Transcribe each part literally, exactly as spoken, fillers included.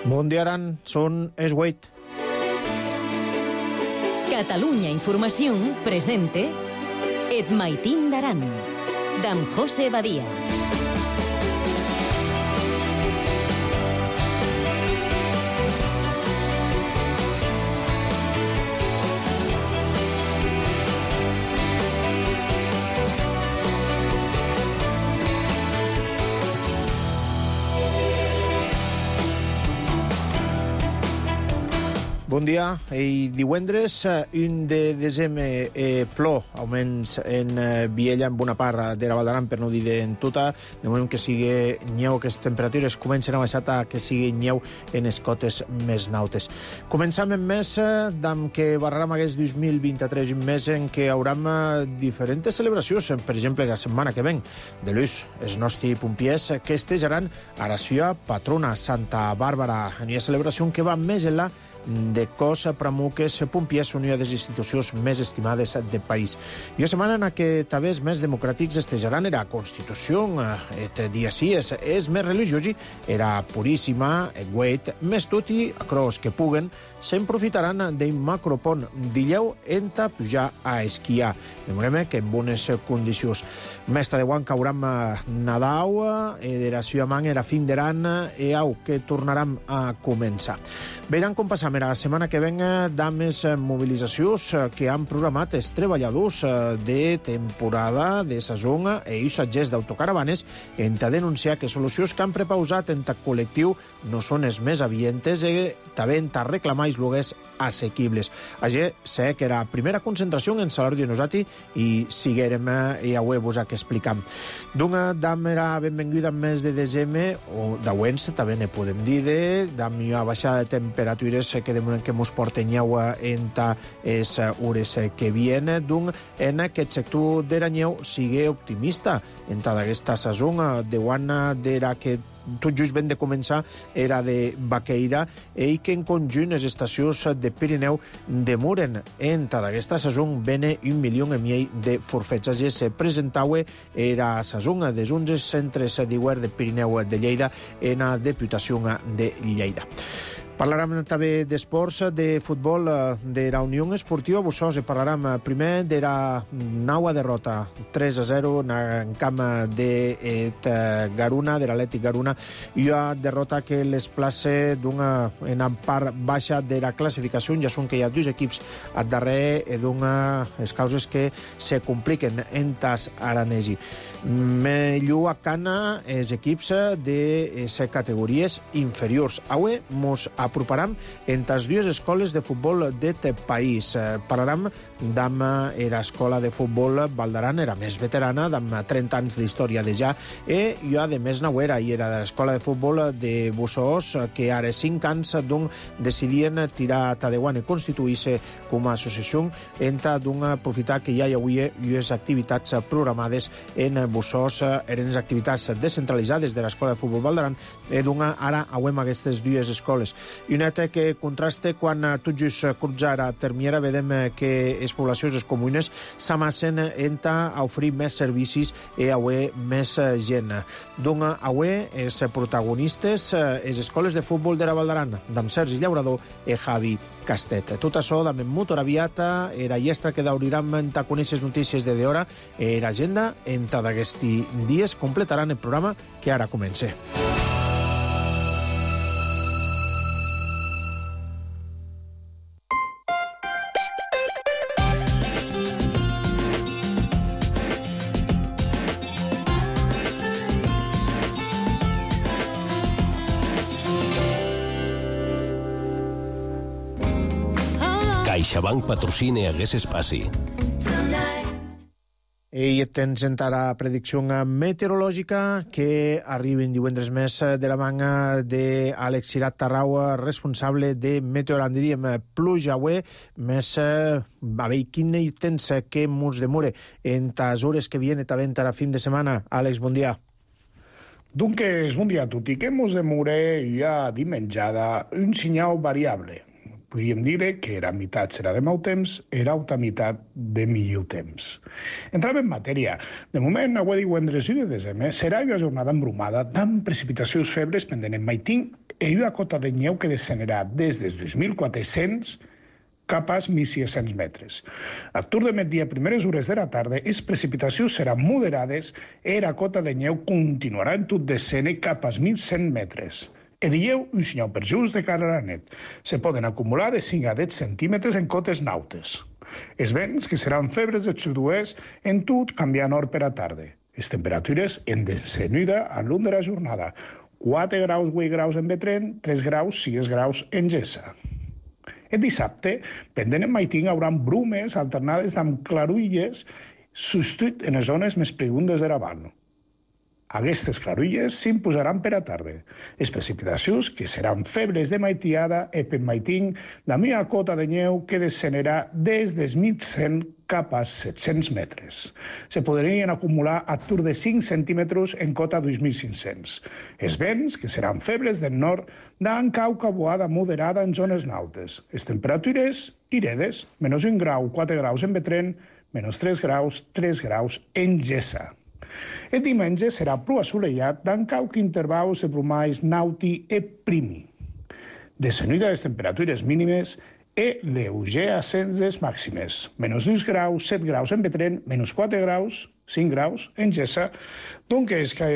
Bon dia, Aran. Són es vuit. Catalunya Informació presente Et Maitín d'Aran, d'en José Badia. Bon dia. I divendres, un de desembre, eh, plou, almenys en eh, Viella, en bona part de la Val d'Aran, per no dir en tota. De moment que sigui nyeu, que les temperatures comencen a baixar a que sigui nyeu en les cotes més nautes. Començam en mes d'am que barram aquest dos mil vint-i-tres, un mes en què hauram diferents celebracions. Per exemple, la setmana que ven, de l'ús, els nostres pompiers que estejaran a la seva patrona, Santa Bàrbara. Hi ha celebració que va més enllà de cos pramuques pompiers, una de les institucions més estimades del país. I la setmana en què també els més democràtics estejaran era Constitució, et dia sí, és, és més religiosi, era puríssima, guet, més tot i acros que puguen, se'n profitaran d'un macropont d'illeu enta pujar a esquiar. Demorem que en bones condicions. Mesta de guan cauram Nadau, e de la seva man era fin d'aran, e au, que tornaram a començar. Veiran com passam la setmana que ven d'amés mobilitzacions que han programat els treballadors de temporada de sazón i usatgers d'autocaravanes en a denunciar que solucions que han prepausat en el col·lectiu no són els més avientes i també en a reclamar els lloguers assequibles. Així sé que era primera concentració en Salar Dionosati i siguerem i avui vos que explicam. D'una dam era benvinguda en mes de desembre, o d'auents també ne podem dir, de dam hi ha baixada de temperatures que demoren que mos porten aigua en les hores que vienen, d'un en aquest sector de l'anyeu sigui optimista en aquesta sazón. De quan d'era que tot just ben de començar era de Baqueira i que en conjunt les estacions de Pirineu demoren en aquesta sazón bene un milió i mig de forfets. Així se presentava era sazón des onze centres de govern de Pirineu de Lleida en la Diputació de Lleida. Parlarem també d'esports, de futbol, de la Unió Esportiva Bussos. Parlarem primer de la nova derrota, tres a zero en camp de Garuna, de l'Atlètic Garuna, i una derrota que les place d'una en part baixa de la classificació, ja són que hi ha dos equips al darrere i d'una les causes que se compliquen en tas aranesi. Millor a cana els equips de les categories inferiors. Avui mos aproparam entre les dues escoles de futbol d'aquest país. Parlarem d'am l'escola de futbol Val d'Aran, era més veterana, d'am trenta anys d'història de ja, i hi ha de més nauera, i era de l'escola de futbol de Bussos, que ara cinc anys d'un decidien tirar a Tadeuan i constituir-se com a associació entre d'un aprofitar que ja hi havia les activitats programades en Bussos, eren les activitats descentralitzades de l'escola de futbol Val d'Aran, i d'un ara auem aquestes dues escoles. I un altre que contrasta quan tot just crutzar a Termiera vedem que les poblacions, les comunes, s'amassen a oferir més servicis i avui més gent. Doncs avui els protagonistes, les escoles de futbol de la Val d'Aran, d'en Sergi Llaurador i Javi Castet. Tot això d'en Motor Aviata, era llestra que daurirem a conèixer les notícies de d'hora, i l'agenda en d'aquests dies completaran el programa que ara comença. CaixaBank patrocina aquest espai. I tens encara predicció meteorològica que arriben divendres més de la manga d'Àlex Cirat Tarrau, responsable de Meteorant. Diríem pluja avui, més a veure quin temps que mos demore en les hores que viene també a la fin de setmana. Àlex, bon dia. Dunque, bon dia a tutti. Che mos demore ja dimenjada un segnal variable. podríem dir que era meitat serà de mau temps, era altra meitat de millor temps. Entrant en matèria, de moment, avui divendres u de desembre, serà una jornada embrumada amb precipitacions febles pendent en Maitín i una cota de neu que descenderà des dels dos mil quatre-cents cap als mil sis-cents metres. Al torn de migdia, primeres hores de la tarda, les precipitacions seran moderades i la cota de neu continuarà en tot descens cap als mil cent metres. El dieu, un senyal perjús de cara a la nit. Se poden acumular de cinc a deu centímetres en cotes nautes. Els vents, que seran febres de sud-oest, en tot canviant nord per a tarda. Les temperatures en descenuda al llarg de la jornada. quatre graus, vuit graus en Betren, tres graus, sis graus en Gessa. El dissabte, pendent en Maitín, hi haurà brumes alternades amb clarulles, substitut en les zones més profundes de la vall. Aquestes clarulles s'imposaran per a tarda. Les precipitacions, que seran febles de maitiada, i per Maitín, la meva cota de neu que descenderà des dels mil cent cap als set-cents metres. Se podrien acumular a tour de cinc centímetres en cota dos mil cinc-cents. Els vents, que seran febles del nord, dan cauca boada moderada en zones nautes. Les temperatures iredes, menys un grau, quatre graus en Betren, menys tres graus, tres graus en Gessa. El diumenge serà prou assolellat, dant cauc intervals de brumalls nauti i primi. Descenuda les temperatures mínimes i lleuger ascens des màximes. Menys dos graus, set graus en Betren, menys quatre graus, cinc graus en Gessa. Donc és que,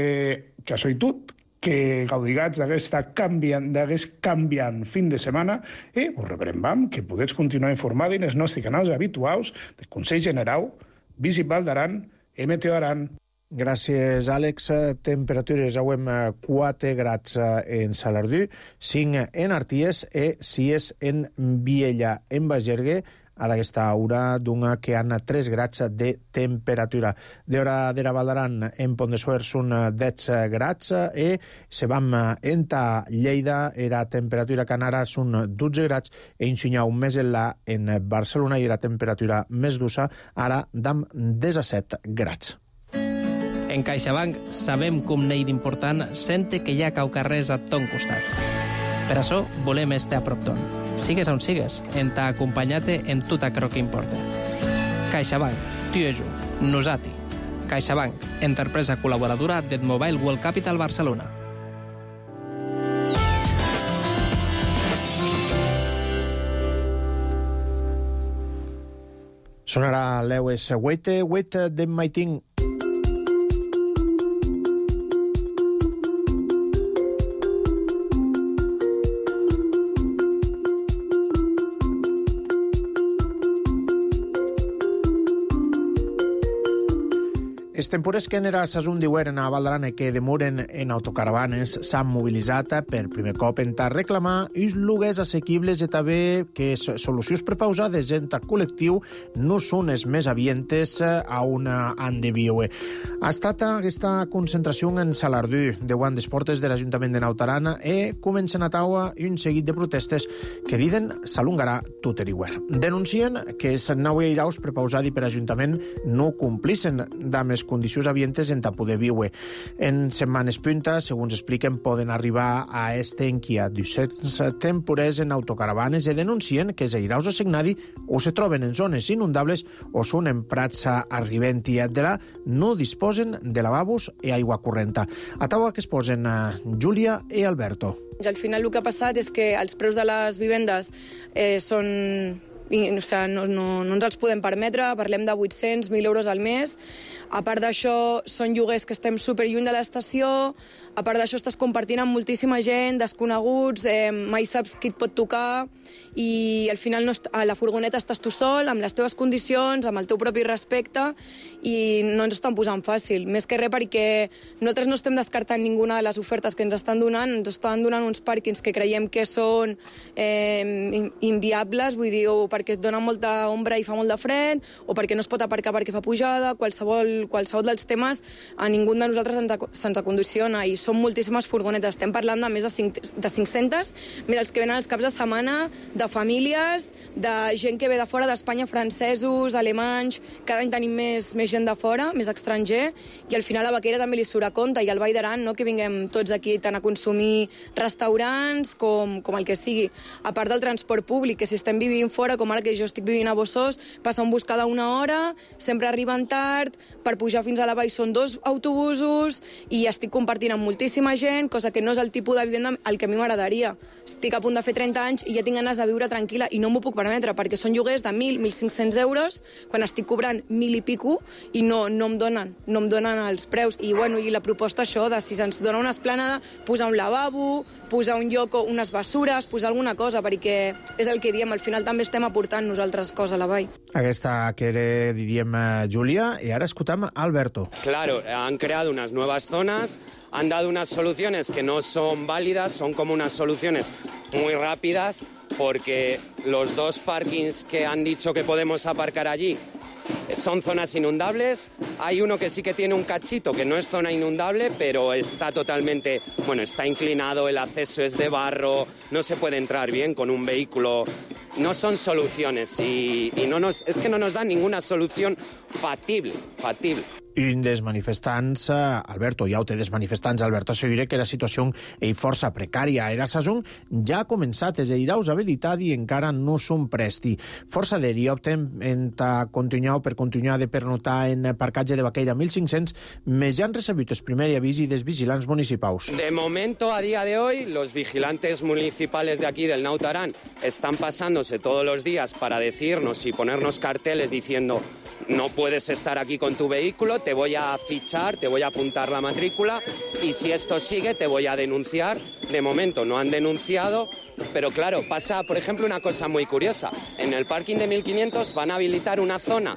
que això i tot, que gaudigats d'aquesta canviant, d'aquest canviant fin de setmana i us rebrem que podeu continuar informats en els nostres canals habituals del Consell General, Visit Val d'Aran i Meteo Aran. Gràcies, Àlex. Temperatures avui quatre grads en Salardú, cinc en Arties i sis en Viella. En Bagergue, a d'aquesta hora d'una que han tres grads de temperatura. D'hora de la Val d'Aran, en Pont de Suert són deu grads i se vam enta Lleida, era temperatura canara són dotze grads i en Sunyau més enllà en Barcelona i la temperatura més dusa ara d'am disset grads. En CaixaBank sabem com n'hi d'important sente que hi ha caucarrers a ton costat. Per això volem estar a prop ton. Sigues on sigues, en t'ha acompanyat en tot aquello que importa. CaixaBank, tu i jo, nosati. CaixaBank, empresa col·laboradora del Mobile World Capital Barcelona. Sonarà l'Eues Huete, Huete de Maitín. Els tempores que en era sasun diueren a Val d'Aran que demoren en autocaravanes s'han mobilitzat per primer cop en ta reclamar els lloguers assequibles i també que solucions prepausades en ta col·lectiu no són les més avientes a una han de viure. Ha estat aquesta concentració en Salardú de guant des portes de l'Ajuntament de Naut Aran i comencen a taua un seguit de protestes que diuen s'alongarà tot eriuer. Denuncien que els nou airaus prepausats per l'Ajuntament no complissen amb les condicions avientes en ta poder viure. En setmanes punta, segons expliquen, poden arribar a este enquia dues-centes temporers en autocaravanes i denuncien que els airaus assignats o se troben en zones inundables o són en prats arribentia de la no disposen de lavabos i aigua correnta. A taula que es posen Júlia i Alberto. Al final el que ha passat és que els preus de les vivendes eh, són... O sigui, no, no, no ens els podem permetre, parlem de vuit-cents mil euros al mes. A part d'això, són lloguers que estem superlluny de l'estació, a part d'això estàs compartint amb moltíssima gent, desconeguts, eh, mai saps qui et pot tocar, i al final no a la furgoneta estàs tu sol, amb les teves condicions, amb el teu propi respecte, i no ens estan posant fàcil. Més que res perquè nosaltres no estem descartant ninguna de les ofertes que ens estan donant, ens estan donant uns pàrquings que creiem que són eh, inviables, vull dir, o perquè et dona molta ombra i fa molt de fred, o perquè no es pot aparcar perquè fa pujada, qualsevol, qualsevol dels temes, a ningú de nosaltres se'ns, se'ns acondiciona, i són moltíssimes furgonetes. Estem parlant de més de, cinc, de cinc-centes, més els que venen els caps de setmana, de famílies, de gent que ve de fora d'Espanya, francesos, alemanys, cada any tenim més, més gent de fora, més estranger, i al final a Baqueira també li surt a compte, i al Vall d'Aran, no, que vinguem tots aquí tant a consumir restaurants com, com el que sigui. A part del transport públic, que si estem vivint fora, com ara que jo estic vivint a Bossós, passa un bus cada una hora, sempre arriben tard, per pujar fins a la vall són dos autobusos, i estic compartint amb moltíssima gent, cosa que no és el tipus de vivenda al que a mi m'agradaria. Estic a punt de fer trenta anys i ja tinc ganes de viure tranquil·la i no m'ho puc permetre, perquè són lloguers de mil, mil cinc-cents euros, quan estic cobrant mil i pico, i no, no em donen, no em donen els preus. I, bueno, i la proposta això, de si se'ns dona una esplanada, posar un lavabo, posar un lloc, unes bessures, posar alguna cosa, perquè és el que diem, al final també estem aportant nosaltres coses a la vall. Aquesta que era, diríem, Júlia, i ara escoltam Alberto. Claro, han creado unas nuevas zonas, han dado unas soluciones que no son válidas, son como unas soluciones muy rápidas, porque los dos parkings que han dicho que podemos aparcar allí son zonas inundables. Hay uno que sí que tiene un cachito, que no es zona inundable, pero está totalmente, bueno, está inclinado, el acceso es de barro, no se puede entrar bien con un vehículo. No son soluciones y, y no nos, es que no nos dan ninguna solución factible, factible. Un dels manifestants, Alberto, ja ho té dels manifestants, Alberto assegura que la situació és força precària. Era saison ja ha començat, és iraus habilitat i encara no són presti. Força d'eri opten a continuar per continuar de pernotar en parcatge de Baqueira mil cinc-cents, més ja han recebut el primer avís dels vigilants municipals. De momento, a día de hoy, los vigilantes municipales de aquí del Naut Aran están pasándose todos los días para decirnos y ponernos carteles diciendo: no puedes estar aquí con tu vehículo, te voy a fichar, te voy a apuntar la matrícula y si esto sigue te voy a denunciar. De momento no han denunciado, pero claro, pasa, por ejemplo, una cosa muy curiosa. En el parking de mil quinientos van a habilitar una zona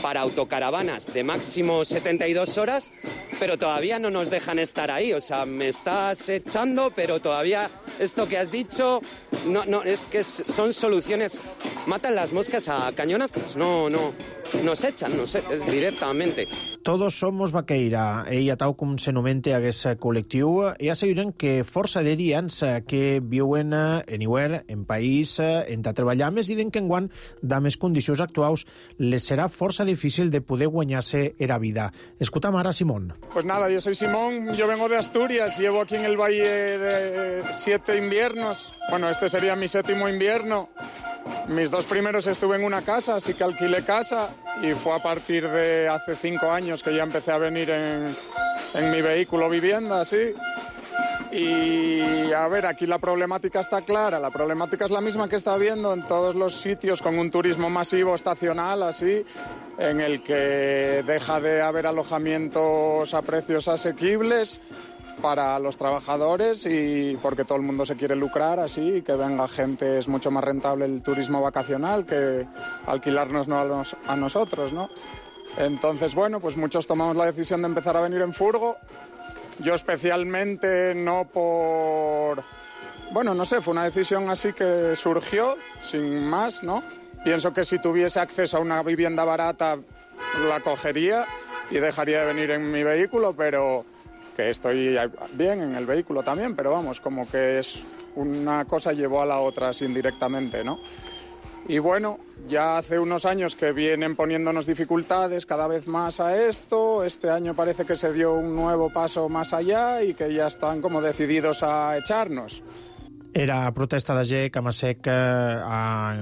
para autocaravanas de máximo setenta y dos horas, pero todavía no nos dejan estar ahí. O sea, me estás echando, pero todavía esto que has dicho, no, no, es que son soluciones, matan las moscas a cañonazos, no, no, nos echan, nos, es directamente. Todos somos Baqueira. Ella, tal com s'anomenta aquest col·lectiu, i asseguren que força d'erians que viuen anywhere, en país, en treballar més, diuen que enguany, de més condicions actuals, les serà força difícil de poder guanyar-se la vida. Escucham ara a Simón. Pues nada, yo soy Simón, yo vengo de Asturias, llevo aquí en el valle de siete inviernos. Bueno, este sería mi séptimo invierno. Mis dos primeros estuve en una casa, así que alquilé casa, y fue a partir de hace cinco años que ya empecé a venir en, en mi vehículo vivienda, así. Y a ver, aquí la problemática está clara, la problemática es la misma que está habiendo en todos los sitios con un turismo masivo estacional, así, en el que deja de haber alojamientos a precios asequibles para los trabajadores, y porque todo el mundo se quiere lucrar así, que venga gente. Es mucho más rentable el turismo vacacional que alquilarnos a, nos, a nosotros, ¿no? Entonces, bueno, pues muchos tomamos la decisión de empezar a venir en furgo. Yo especialmente, no por... Bueno, no sé, fue una decisión así que surgió, sin más, ¿no? Pienso que si tuviese acceso a una vivienda barata la cogería y dejaría de venir en mi vehículo, pero... que estoy bien en el vehículo también, pero vamos, como que es una cosa llevó a la otra así indirectamente, ¿no? Y bueno, ya hace unos años que vienen poniéndonos dificultades cada vez más a esto. Este año parece que se dio un nuevo paso más allá y que ya están como decididos a echarnos. Era protesta de G, Camasec, eh,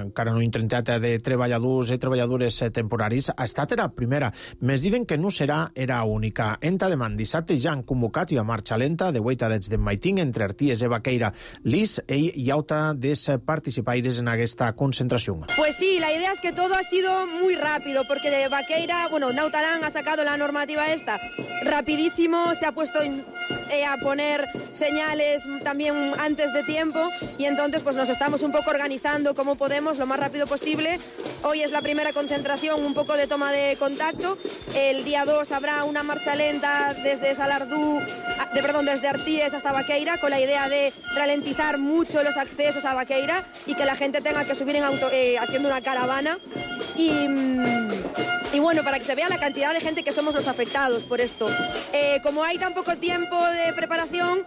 encara no intentat de treballadors i treballadores temporaris. Ha estat era primera. Més diuen que no serà era única. Enta demà dissabte ja han convocat i a marxa lenta de huitadets de Maiting entre Arties i Baqueira. Lis, ell i auta des participaires en aquesta concentració. Pues sí, la idea es que todo ha sido muy rápido, porque de Baqueira, bueno, Naut Aran ha sacado la normativa esta rapidísimo, se ha puesto eh, a poner señales también antes de tiempo y entonces pues nos estamos un poco organizando como podemos lo más rápido posible. Hoy es la primera concentración, un poco de toma de contacto. El día dos habrá una marcha lenta desde Salardú, de, perdón, desde Arties hasta Baqueira, con la idea de ralentizar mucho los accesos a Baqueira y que la gente tenga que subir en auto, eh, haciendo una caravana. Y, y bueno, para que se vea la cantidad de gente que somos los afectados por esto. Eh, como hay tan poco tiempo de preparación,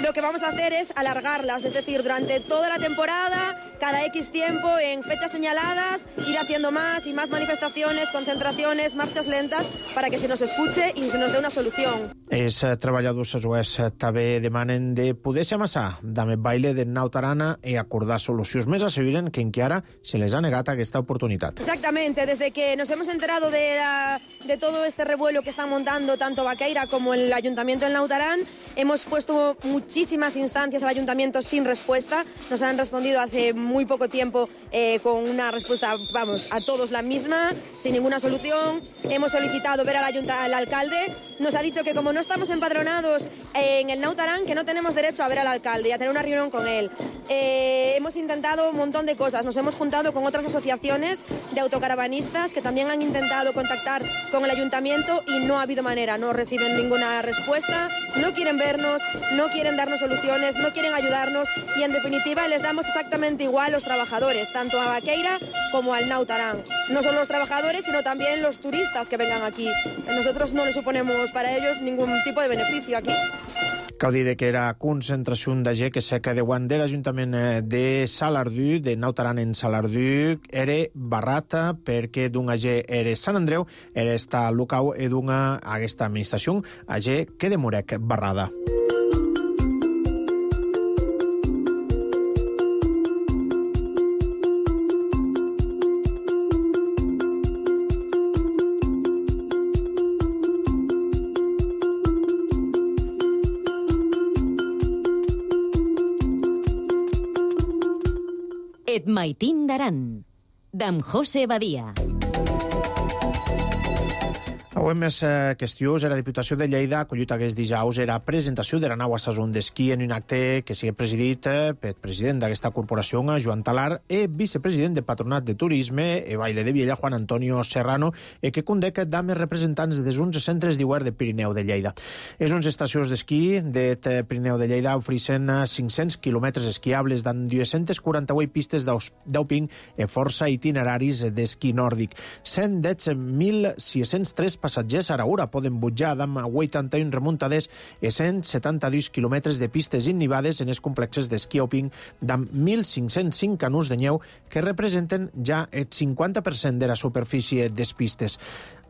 lo que vamos a hacer es alargarlas, es decir, durante toda la temporada, cada X tiempo, en fechas señaladas, ir haciendo más y más manifestaciones, concentraciones, marxes lentas, para que se nos escuche i se nos dé una solució. Els treballadors jueus també demanen de poder-se amassar amb el baile de Naut Aran i acordar solucions. Més asseguren que encara se les ha negat aquesta oportunitat. Exactamente, desde que nos hemos enterado de, la, de todo este revuelo que están montando tanto Baqueira como el Ayuntamiento del Naut Aran, hemos puesto muchísimas instancias al Ayuntamiento sin respuesta. Nos han respondido hace muy poco tiempo eh, con una respuesta, vamos, a todos la misma, sin ninguna solución. Hemos solicitado ver al, ayunta, al alcalde. Nos ha dicho que como no estamos empadronados en el Naut Aran, que no tenemos derecho a ver al alcalde y a tener una reunión con él. Eh, hemos intentado un montón de cosas. Nos hemos juntado con otras asociaciones de autocaravanistas que también han intentado contactar con el ayuntamiento y no ha habido manera. No reciben ninguna respuesta, no quieren vernos, no quieren darnos soluciones, no quieren ayudarnos y en definitiva les damos exactamente igual a los trabajadores, tanto a Baqueira como al Naut Aran. No solo los trabajadores, sino también los turistas que vengan aquí. Nosotros no les suponemos para ellos ningún tipo de beneficio aquí. Cal dir que era concentració de gent que seca de guant de l'Ajuntament de Salardú, de Naut Aran en Salardú, era barrata perquè d'un agent era Sant Andreu, era esta local i d'una aquesta administració, agent que demorec barrada. Et Maitín d'Aran, d'en José Badia. Avui més eh, qüestions. La Diputació de Lleida ha acollit aquest dijous la presentació de la nau Sason d'esquí en un acte que sigui presidit eh, pel president d'aquesta corporació, Joan Talar, i vicepresident de Patronat de Turisme i Baile de Viella, Juan Antonio Serrano, i que condec dames representants des onze centres d'Iguer de Pirineu de Lleida. És unes estacions d'esquí de Pirineu de Lleida ofereixen cinc-cents quilòmetres esquiables d'en dues-centes quaranta-vuit pistes d'Auping i força itineraris d'esquí nòrdic. cent mil sis-cents tres passatgers a hora poden butjar amb vuitanta-un remuntades i cent setanta-dos quilòmetres de pistes innivades en els complexes d'esquí alpí d'amb mil cinc-cents cinc canons de neu que representen ja el cinquanta per cent de la superfície des pistes.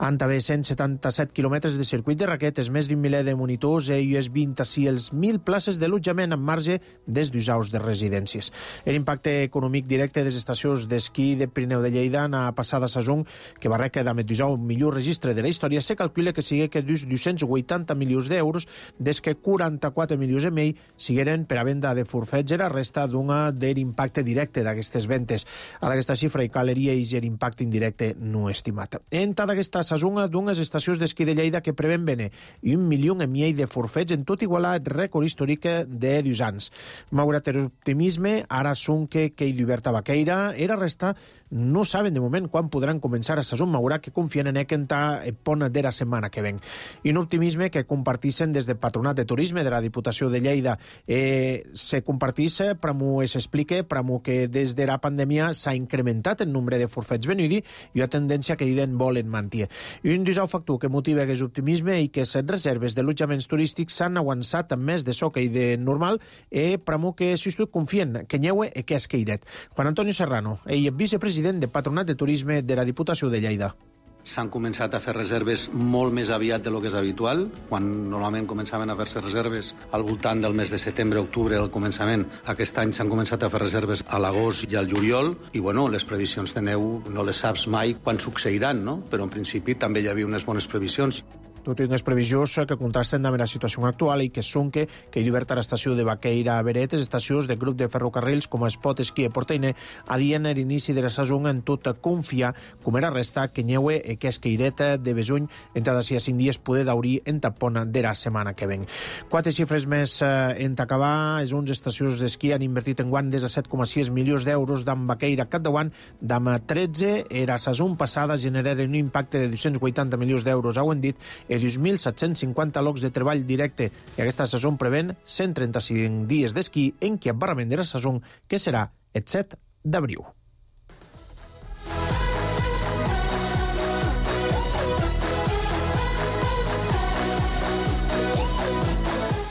Han també cent setanta-set quilòmetres de circuit de raquetes, més d'un miler de monitors i unes vint-i-sis mil places d'allotjament amb marge des d'usaus de residències. L'impacte econòmic directe de les estacions d'esquí de Pirineu de Lleida en la passada saison, que va requerir amb el millor registre de la història, se calcula que sigui que dos-cents vuitanta milions d'euros, des que quaranta-quatre milions i mig sigueren per a venda de forfets i la resta d'una de l'impacte directe d'aquestes ventes. A aquesta xifra hi caleria i l'impacte indirecte no estimat. En tota aquesta saison d'unes estacions d'esquí de Lleida que preven vendre un milió i mig de forfets en tot igualar el rècord històric de dos anys. Malgrat l'optimisme, ara són que que hi d'Huberta Baqueira i la resta no saben de moment quan podran començar a saison, malgrat que confien en que entà el pont de la setmana que ven. I un optimisme que compartixen des del Patronat de Turisme de la Diputació de Lleida. Eh, se compartix, pramo es explica, pramo que des de la pandèmia s'ha incrementat el nombre de forfets venudi i una tendència que diuen volen mantenir. I un disau factor que motiva aquest optimisme i que les reserves d'allotjaments turístics s'han avançat amb més de soca i de normal i pramo que si tu confien que nyeue i que és queiret. Juan Antonio Serrano, ell és vicepresident de Patronat de Turisme de la Diputació de Lleida. S'han començat a fer reserves molt més aviat del que és habitual. Quan normalment començaven a fer-se reserves al voltant del mes de setembre-octubre al començament, aquest any s'han començat a fer reserves a l'agost i al juliol i bueno, les previsions de neu no les saps mai quan succeiran, no? Però en principi també hi havia unes bones previsions. tot i unes previsions que contrasten amb la situació actual i que sonque que hi diverta l'estació de Baqueira a Beretes, estacions de grup de ferrocarrils com Espot, Esquí i Porteine, adien l'inici de la saison en tot confiar, com era resta que nyeue e que esqueireta de besuny entre d'ací a cinc dies poder daurir en tapona de la setmana que ven. Quatre xifres més eh, en acabar, és uns estacions d'esquí han invertit en guant des de set coma sis milions d'euros d'en Baqueira cap de guant, d'am tretze, era saison passada generaren un impacte de dos-cents vuitanta milions d'euros, ho hem dit, i dos mil set-cents cinquanta llocs de treball directe. I aquesta saison prevén cent trenta-cinc dies d'esquí en què barrament de la saison, que serà el set d'abril.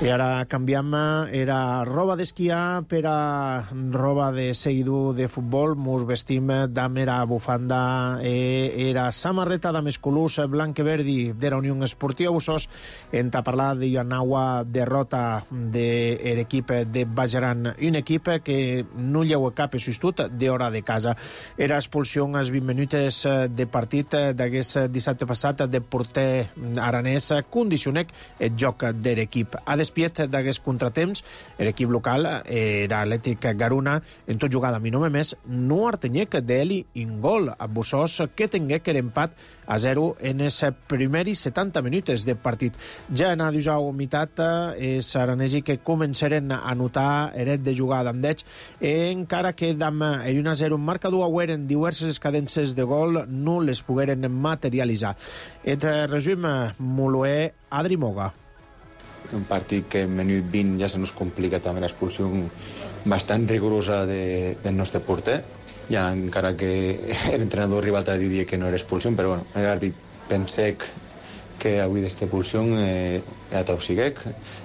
I ara canviem, era roba d'esquiar per a roba de seguidor de futbol. Mos vestim d'am era bufanda, e era samarreta d'am escolús blanc i verdi de la Unió Esportiva Bussos. En ta parlar de una derrota de l'equip de Bajaran, un equip que no lleu cap substitut d'hora de casa. Era expulsió als vint minuts de partit d'aquest dissabte passat de porter aranès, condicionec el joc de l'equip. A despiet d'aquests contratemps, l'equip local era Atlètic Garuna, en tot jugada a mi no més, no artenyec d'Eli in gol a Bussos, que tingué que l'empat a zero en els primers setanta minuts de partit. Ja en a dijous mitat, els aranesi que començaren a notar eret de jugada amb d'ells, encara que d'am un a zero marcador auer en diverses cadences de gol no les pogueren materialitzar. Et resum, Moloé, Adri Moga. Un partit que en minut vint ja se nos complica també l'expulsió bastant rigorosa de, del nostre porter, ja encara que l'entrenador rival t'ha dit que no era expulsió, però bueno, l'àrbit pensec que avui d'esta expulsió eh, era toxiguec.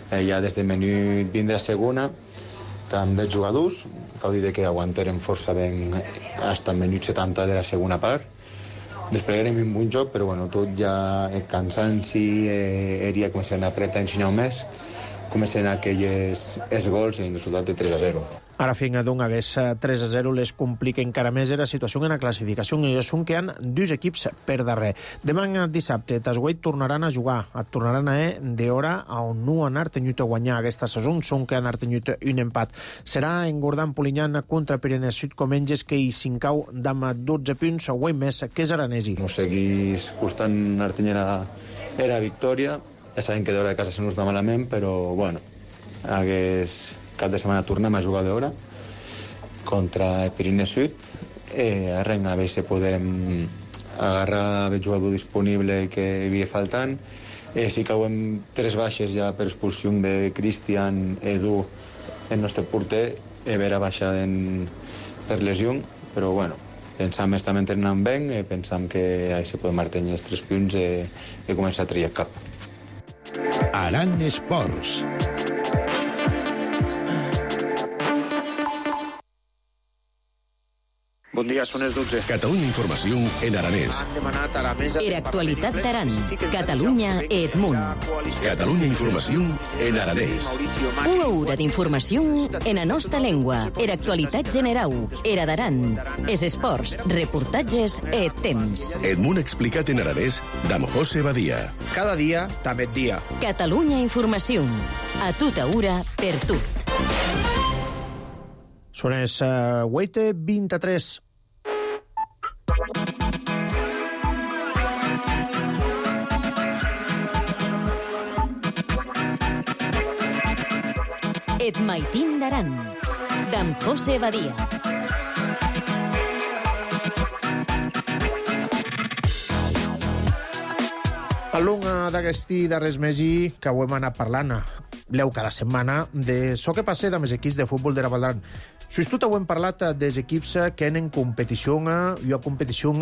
Eh, ja des de minut vint de la segona també els jugadors, que heu dit que aguantaren força ben fins al minut setanta de la segona part. Desplegarem un bon joc, però bueno, tot ja el cansanci, eh, eria començant a apretar ensenyar més, començant aquells els gols i el resultat de tres a zero. Ara fin d'un hagués tres a zero les complica encara més la situació en la classificació, i és un que han dos equips per darrer. Demà dissabte, Tasgueit tornaran a jugar, et tornaran a eh, d'hora on no han tenyut a guanyar aquesta saison, són que han tenyut un empat. Serà en Gordan Polinyan contra Pirenes Sud Comenges, que hi s'incau d'am dotze punts, o més que és aranesi. Nos seguís costant artenyera era victòria, ja sabem que d'hora de casa se nos da malament, però bueno, hagués cap de setmana tornem a jugar d'hora contra el Pirineu Sud, eh, a veure a veure si podem agarrar el jugador disponible que hi havia faltant. Eh, si cauen tres baixes ja per expulsió de Cristian, Edu, el nostre porter, eh, vera baixa en, per lesió, però bueno, pensam que estem entrenant bé, eh, pensam que així podem mantenir els tres punts eh, i començar a triar cap. Aran Esports. Bon dia, són les dotze. Catalunya Informació en aranès. Era actualitat d'Aran. Catalunya et munt. Catalunya Informació en aranès. Una hora d'informació en la nostra llengua. Era actualitat generau. Era d'Aran. És esports, reportatges et temps. Et munt explicat en aranès d'am José Badia. Cada dia, també et dia. Catalunya Informació. A tota hora, per tu. Són les uh, vuit i vint-i-tres. Et maitin d'Aran, d'am José Badia. A l'unga d'aquesti darrers mesi que ho hem anat parlant, leu cada setmana, de so que passa amb els equips de futbol de la Valdaran. Fins tot ho hem parlat dels equips que tenen competició, i una competició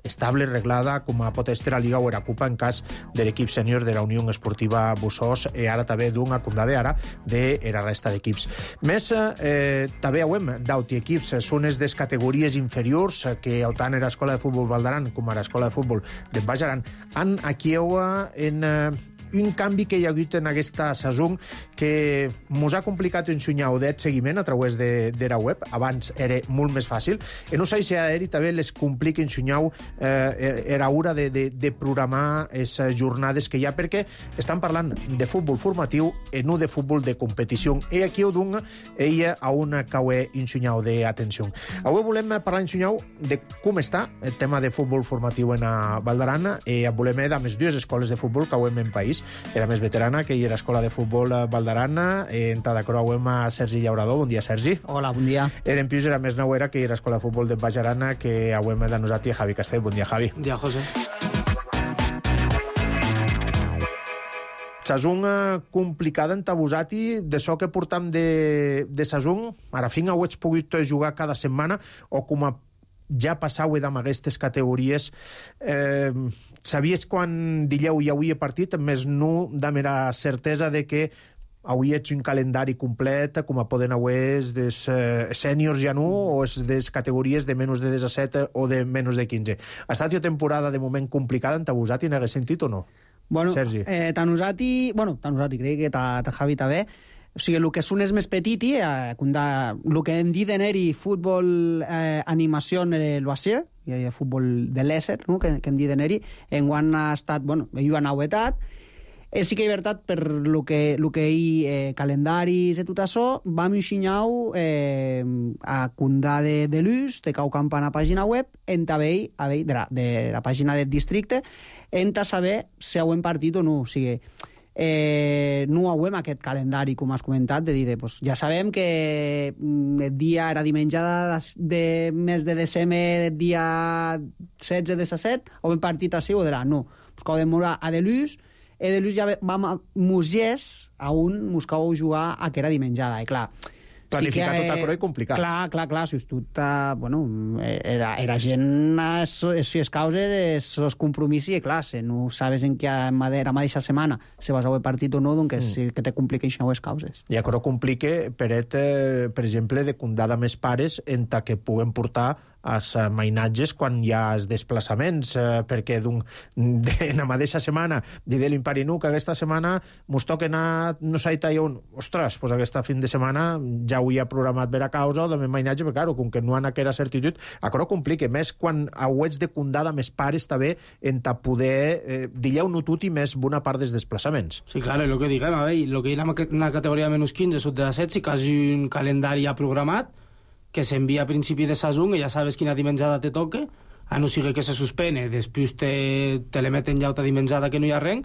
estable, reglada, com a pot estar la Liga o la Copa en cas de l'equip sènior de la Unió Esportiva Bussos, i ara també d'una condada ara de la resta d'equips. Més, eh, també ho hem d'auti equips, són les des categories inferiors que tant a l'Escola de Futbol Valdaran com a l'Escola de Futbol de Bajaran han aquí en eh, un canvi que hi ha hagut en aquesta saison que mos ha complicat un xunyau d'et seguiment a través de, de la web. Abans era molt més fàcil. E no sé si a ell també les complica un xunyau eh, era hora de, de, de programar les jornades que hi ha, perquè estan parlant de futbol formatiu i no de futbol de competició. I aquí ho dono ella a una caue un xunyau d'atenció. Avui volem parlar un xunyau de com està el tema de futbol formatiu en a Val d'Aran, i volem de més dues escoles de futbol que avui en país. Era més veterana, que hi era escola de futbol a Val d'Aran, i en Tadacro avui a Sergi Llaurador. Bon dia, Sergi. Hola, bon dia. I d'empius era més nauera, que hi era escola de futbol de Baix Arana, que avui de nosaltres Javi Castell. Bon dia, Javi. Bon dia, José. Saison complicada en Tabusati, de so que portam de, de saison, ara fin ho ets pogut jugar cada setmana, o com a ja passau amb aquestes categories, eh, sabies quan dileu hi hauria partit, més no damb la certesa de que avui ets un calendari complet, com a poden avui des eh, sèniors ja no, o és des categories de menys de disset o de menys de quinze. Ha estat una temporada de moment complicada en Tabusati, en aquest sentit o no? Bueno, Sergi. Eh, Tanusati, bueno, Tanusati, crec que ta, ta Javi també. O sigui, el que és un és més petiti, eh, el que hem dit d'eneri, futbol, eh, animació, eh, l'Oasir, i el futbol de l'Esser, no? que, que hem dit d'eneri, en quan ha estat, bueno, hi ha novetat. Eh, sí que hi ha veritat per el que, lo que hi eh, calendaris i tot això, vam ensenyar eh, a Condà de, de l'Us, de cau camp a la pàgina web, en també, de, la, de la pàgina del districte, en ta saber si ho hem partit o no. O sigui, eh, no ho hem aquest calendari, com has comentat, de dir, de, pues, ja sabem que el dia era diumenge de, de mes de desembre, el dia setze de set, ho hem partit així o de la no. Pues, que ho hem morar a de l'Us, i de l'ús ja vam a Musiers a un buscau jugar a que era dimenjada, i clar... Planificar sí que, tot a croi complicat. Clar, clar, clar, si tot, bueno, era, era gent, si es causes, els compromisos, i clar, si no sabes en què a la mateixa setmana se vas a haver partit o no, doncs mm. sí que te compliquen les causes. I això complica, Peret, eh, per exemple, de condada més pares en ta que puguen portar els mainatges quan hi ha els desplaçaments, eh, perquè de la mateixa setmana dir de l'impari nu que aquesta setmana mos toca anar, no sé, i on, ostres, doncs aquesta fin de setmana ja ho hi ha programat per a causa o de mainatge, perquè clar, com que no han aquella certitud, això complica, més quan ho ets de condada més pares també en ta poder eh, dilleu no tot i més bona part dels desplaçaments. Sí, claro, lo que diguem, a veure, lo que hi ha en la categoria de menys quinze, sub de set, sí que has un calendari ja programat que s'envia a principi de saison i ja sabes quina dimenjada te toca, a no sigui que se suspene, després te, te le meten ja altra dimenjada que no hi ha res,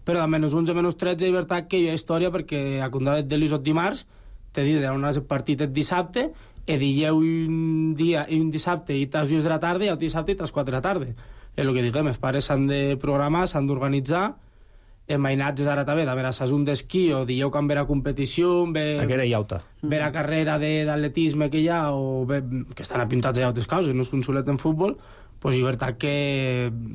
però a menys onze, menys tretze, hi ha veritat que hi ha història, perquè a Condat de l'Isot dimarts, te diuen on has partit el dissabte, i dilleu un dia i un dissabte i tas dues de la tarda i el dissabte i tas quatre de la tarda. És el que diguem, els pares s'han de programar, s'han d'organitzar, en mainatges ara també, de veure saison d'esquí o dieu que en vera competició, ver, vera carrera d'atletisme que hi ha, o ver, que estan apintats a altres causes, no és consolet en futbol, pues és veritat que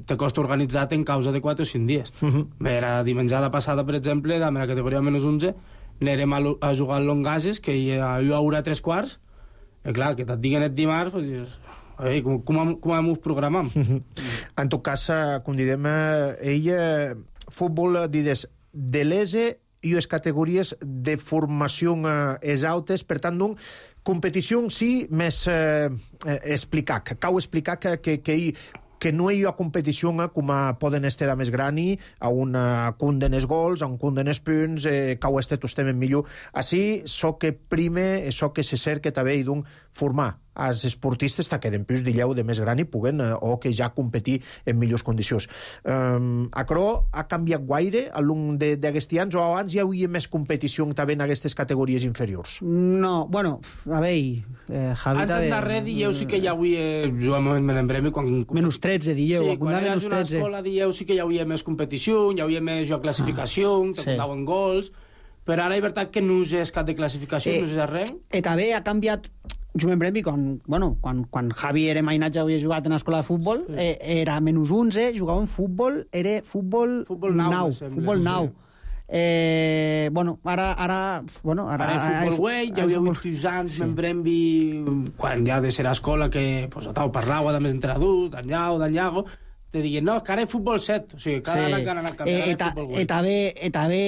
te costa organitzar-te en causa de quatre o cinc dies. Uh-huh. La dimenjada passada, per exemple, de la categoria menys onze, anirem a, a jugar al Longases, que hi haurà tres quarts, i clar, que te't diguen el dimarts, pues, a veure, com, com, com hem programat? Uh-huh. En tot cas, com diguem, ella... futbol, dides, de l'E S E i les categories de formació eh, altes, per tant, doncs, competició sí més eh, explicar, que cal explicar que, que, que, hi, que no hi ha competició eh, com a poden estar de més grani, a un cunden els gols, a un cunden els punts, eh, cau este tostem en millor. Així, so que prime, so que se cerca també, i doncs, formar els esportistes que d'empús d'illeu de més gran i puguen, eh, o que ja competir en millors condicions. Um, Acro ha canviat guaire al long d'aquests anys, o abans hi havia més competició també en aquestes categories inferiors? No, bueno, a veure... Eh, Javi, Abans en darrer dieu sí que hi havia... Jo a moment me n'embremi quan... Menys tretze, dieu. Sí, quan eres una escola dieu sí que hi havia més competició, hi havia més jo classificació, ah, te sí. Contaven gols, però ara hi veritat que no és cap de classificació, eh, no és res. I també ha canviat... Jo m'embremi, quan, bueno, quan, quan Javi era mainatge havia jugat en l'escola de futbol, sí. eh, era menys onze, jugava en futbol, era futbol, futbol nou, nou futbol nou. Sí. Eh, bueno, ara... ara, bueno, ara, ara el futbol güey, ja havia uns anys, sí. M'embremi, quan ja de ser a escola, que pues, tau parlava de més entre adults, d'en Llau, d'en Llago, te diguen, no, que ara hi futbol set, o sigui, cada sí. any encara anar canviant eh, futbol vuit. I també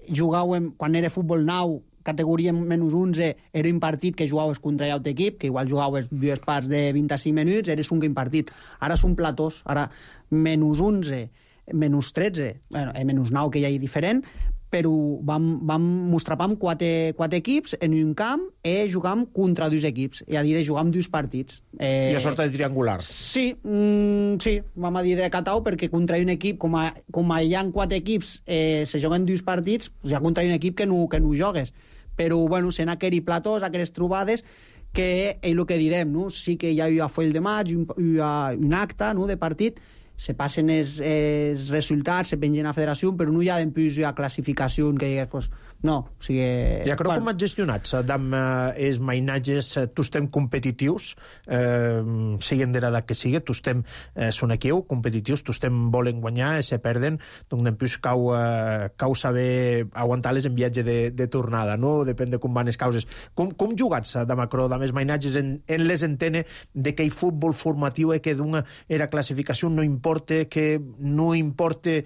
jugàvem, quan era futbol nou, categoria menys onze, era un partit que jugaves contra l'altre equip, que igual jugaves dues parts de vint-i-cinc minuts, eres un partit. Ara són platós, ara menys onze, menys tretze, bueno, eh, menys nou, que ja hi ha diferent, però vam, vam mostrar amb quatre, quatre equips en un camp i jugam contra dos equips, i a dir de jugar amb dos partits. Eh, I a sorta de triangular. Sí, mm, sí, vam a dir de catau, perquè contra un equip, com, a, com a hi ha quatre equips, eh, se juguen dos partits, hi ha contra un equip que no, que no jogues. Però, bueno, sent aquells platós, aquelles trobades, que és el que direm, no? Sí que hi ha un foll de maig, un, un acte, no?, de partit, se passen els, els resultats, se pengen a federació, però no hi ha d'empús a classificació que digues, pues, no, o sigui... I a crec bueno. Com has gestionat, amb eh, els mainatges, eh, tu estem competitius, eh, siguin de l'edat que sigui, tu estem, eh, són aquí, competitius, tu estem volen guanyar, se perden, doncs d'empús cau, eh, cau saber aguantar-les en viatge de, de tornada, no? Depèn de com van les causes. Com, com jugats, de macro, amb els mainatges, en, en les entene de que el futbol formatiu eh, que d'una era classificació no importa que no importa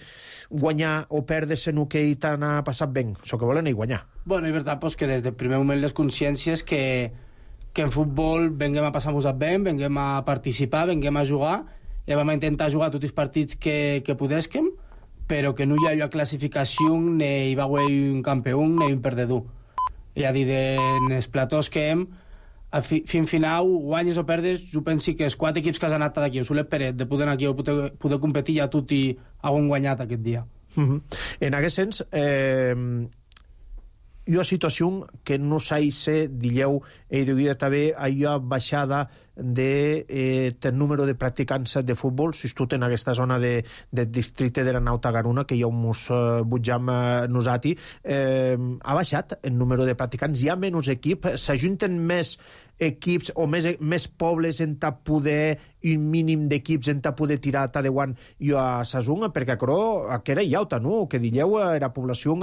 guanyar o perdre sinó que hi t'han passat ben, això que volen és guanyar. Bueno, és veritat pues, que des del primer moment les consciències que, que en futbol venguem a passar-nos ben, venguem a participar, venguem a jugar, i vam intentar jugar tots els partits que, que podéssim, però que no hi ha classificació, ni hi va haver un campió, ni un perdedor. És a dir, en els platós que hem, Fi, fin final, guanyes o perdes, jo penso que els quatre equips que han anat d'aquí, o Solet Peret, de poder anar aquí o poder, poder competir, ja tot i han guanyat aquest dia. Uh-huh. En aquest sens, eh, hi ha situació que no s'ha dilleu, i degut també a la baixada de eh, el número de practicants de futbol, si tu en aquesta zona de, de districte de la Nauta Garuna, que hi ha un mus eh, butjam eh, nosati, eh, ha baixat el número de practicants, hi ha menys equip, s'ajunten més equips o més, més pobles en ta poder, un mínim d'equips en ta poder tirar ta de guant i a Sasung, perquè crò, que era llauta, no? Que dilleu era població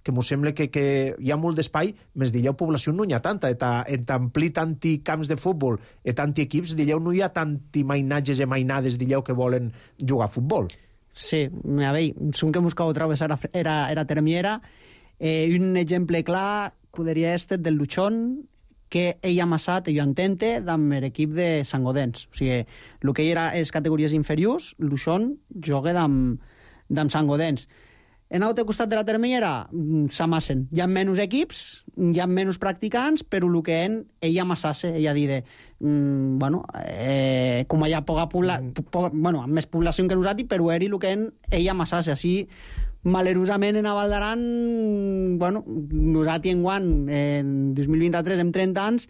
que m'ho sembla que, que hi ha molt d'espai, més dilleu població no hi ha tanta, en t'ampli tanti camps de futbol i tanti equips, dilleu no hi ha tanti mainatges i mainades, dilleu que volen jugar a futbol. Sí, a veure, som que buscau travessar era, era termiera. Eh, un exemple clar podria ser del Luchón, que ell ha amassat, ell entente, amb l'equip de Sant Godens. O sigui, el que era les categories inferiors, Luchón joga amb, amb Sant Godens. En l'altre costat de la termellera s'amassen. Hi ha menys equips, hi ha menys practicants, però el que en, ell amassassa, ell ha dit de, mm, bueno, eh, com hi ha poca població, po, bueno, amb més població que nosaltres, però eri el que en, ell amassassa. Així, malerosament en Val d'Aran, bueno, nosaltres en guant, en dos mil vint-i-tres, amb trenta anys,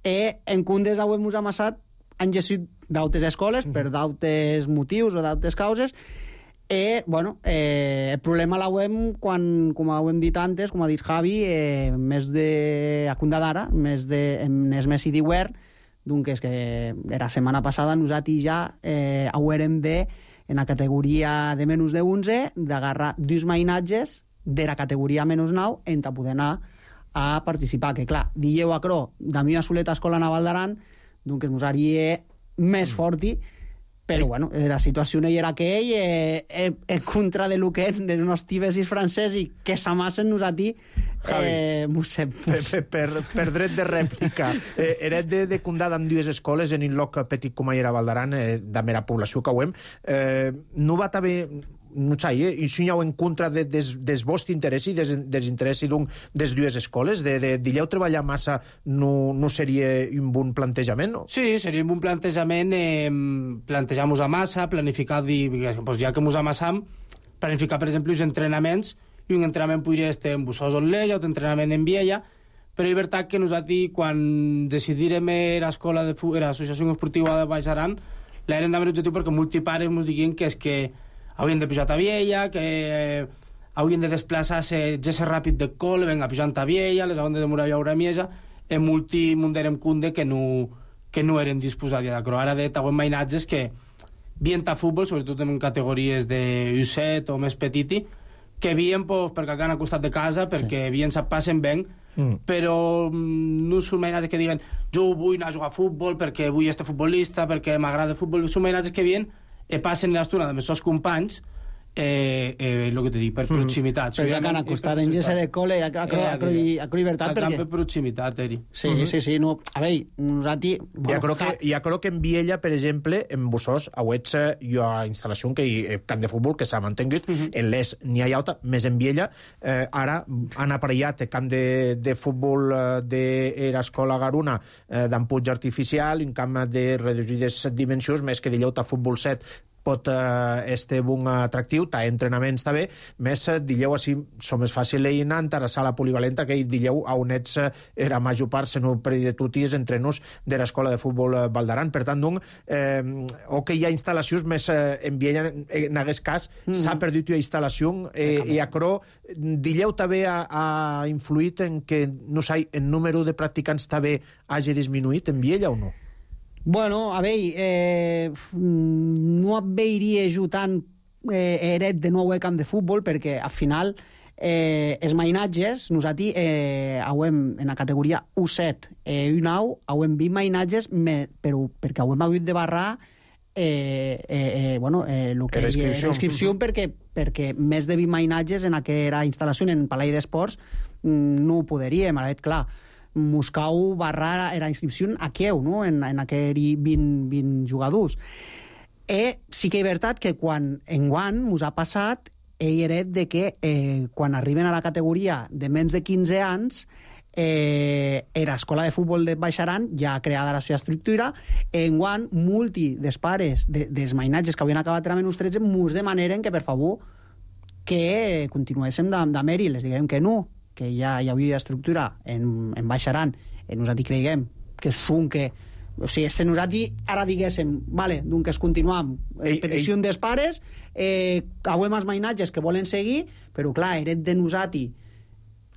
i en Cundes ho hem amassat, han gestit d'altres escoles, per d'altres motius o d'altres causes. I, bueno, eh, el problema l'hem, quan, com ho hem dit antes, com ha dit Javi, eh, més de a Cunda d'ara, més de, en els Messi d'Iwer, doncs és que la setmana passada nosaltres ja eh, haurem de, en la categoria de menys de onze, d'agarrar dos mainatges de la categoria menys nou en ta poder anar a participar. Que clar, dilleu a Cro, de mi a Soleta Escola Naval d'Aran, doncs ens usaria més forti, però, bueno, la situació no hi era que ell, eh, eh, en contra de lo que els nostres tibesis francesos que s'amassen nosaltres, eh, musem, per, per, per dret de rèplica. Eh, eret de, de Condada amb dues escoles en un lloc petit com era Val d'Aran, eh, de mera població que ho hem. Eh, no va també... no sé, eh? I si hi ha en contra de, des, des vostre interès i des, desinterès des dues escoles, de, de dilleu treballar massa no, no seria un bon plantejament? No? Sí, seria un bon plantejament, eh, plantejar-nos a massa, planificar, dir, pues ja que ens amassam, planificar, per exemple, els entrenaments, i un entrenament podria estar en Bussós o Lleja, un entrenament en Viella, però és veritat que nosaltres, quan decidirem l'escola de l'associació esportiva de Baix Aran, l'hem de l'objectiu perquè molts pares ens diguin que és que haurien de pujar a Viella, que eh, haurien de desplaçar-se gesse ràpid de col, venga, pujant a Viella, les haurien de demorar a Miesa, i molti munderem cunde que no, que no eren disposats a Cro. Ara de tauen mainatges que vien a futbol, sobretot en categories de U set o més petiti, que vien pues, perquè han al costat de casa, perquè sí. Vien se passen ben, mm. però no són mainatges que diguen jo vull anar a jugar a futbol perquè vull estar futbolista, perquè m'agrada el futbol, són mainatges que vien e passen l'estona amb els seus companys, eh, eh, el que t'he dit, per proximitat. Mm. Perquè han acostat en gese de col·le a Llibertat. Per proximitat, Eri. Sí, sí, sí. No, a veure, nosaltres... Ja crec que, ja crec que en Viella, per exemple, en Bussós, auets jo a instal·lació que hi ha camp de futbol que s'ha mantingut, en l'Es n'hi ha alta, més en Viella, eh, ara han aparellat el camp de, de futbol de l'escola Garuna eh, d'en Puig Artificial, un camp de reduïdes dimensions, més que dileu a futbol set pot eh, este bon atractiu, ta entrenaments també, més eh, dileu així som més fàcil anar a la sala polivalenta que dileu a on ets eh, era major part, se no per de tuties entrenos de l'escola de futbol eh, Valdaran. Per tant, doncs, eh, o que hi ha instal·lacions més eh, en Viella, en aquest cas, mm -hmm. s'ha perdut la instal·lació eh, i a Cro, dileu també ha, ha influït en que, no sé, el número de practicants també hagi disminuït en Viella o no? Bueno, a veure, eh, no veiria jo tant eh, eret de nou al camp de futbol, perquè al final eh, els mainatges, nosaltres eh, hauem, en la categoria U set i U nou, hauem vist mainatges, me, però perquè hauem hagut de barrar eh, eh, eh, bueno, eh, lo que l'inscripció, perquè, perquè més de vint mainatges en aquella instal·lació en Palau d'Esports no ho podríem, ara, clar. Moscou barrar era inscripció a Kieu, no? en, en aquell vint, vint jugadors. E sí que és veritat que quan enguant mos ha passat ell era de que eh, quan arriben a la categoria de menys de quinze anys eh, era escola de futbol de Baixaran ja creada la seva estructura, enguant multi dels pares de, dels mainatges que havien acabat a menys tretze mos demaneren que per favor que continuéssim d'amer i les diguem que no, que ja hi havia estructura en, en Baixaran, i nosaltres creiem que són que... O sigui, si nosaltres ara diguéssim, vale, doncs continuam, en petició dels pares, eh, hauem els mainatges que volen seguir, però clar, eret de nosaltres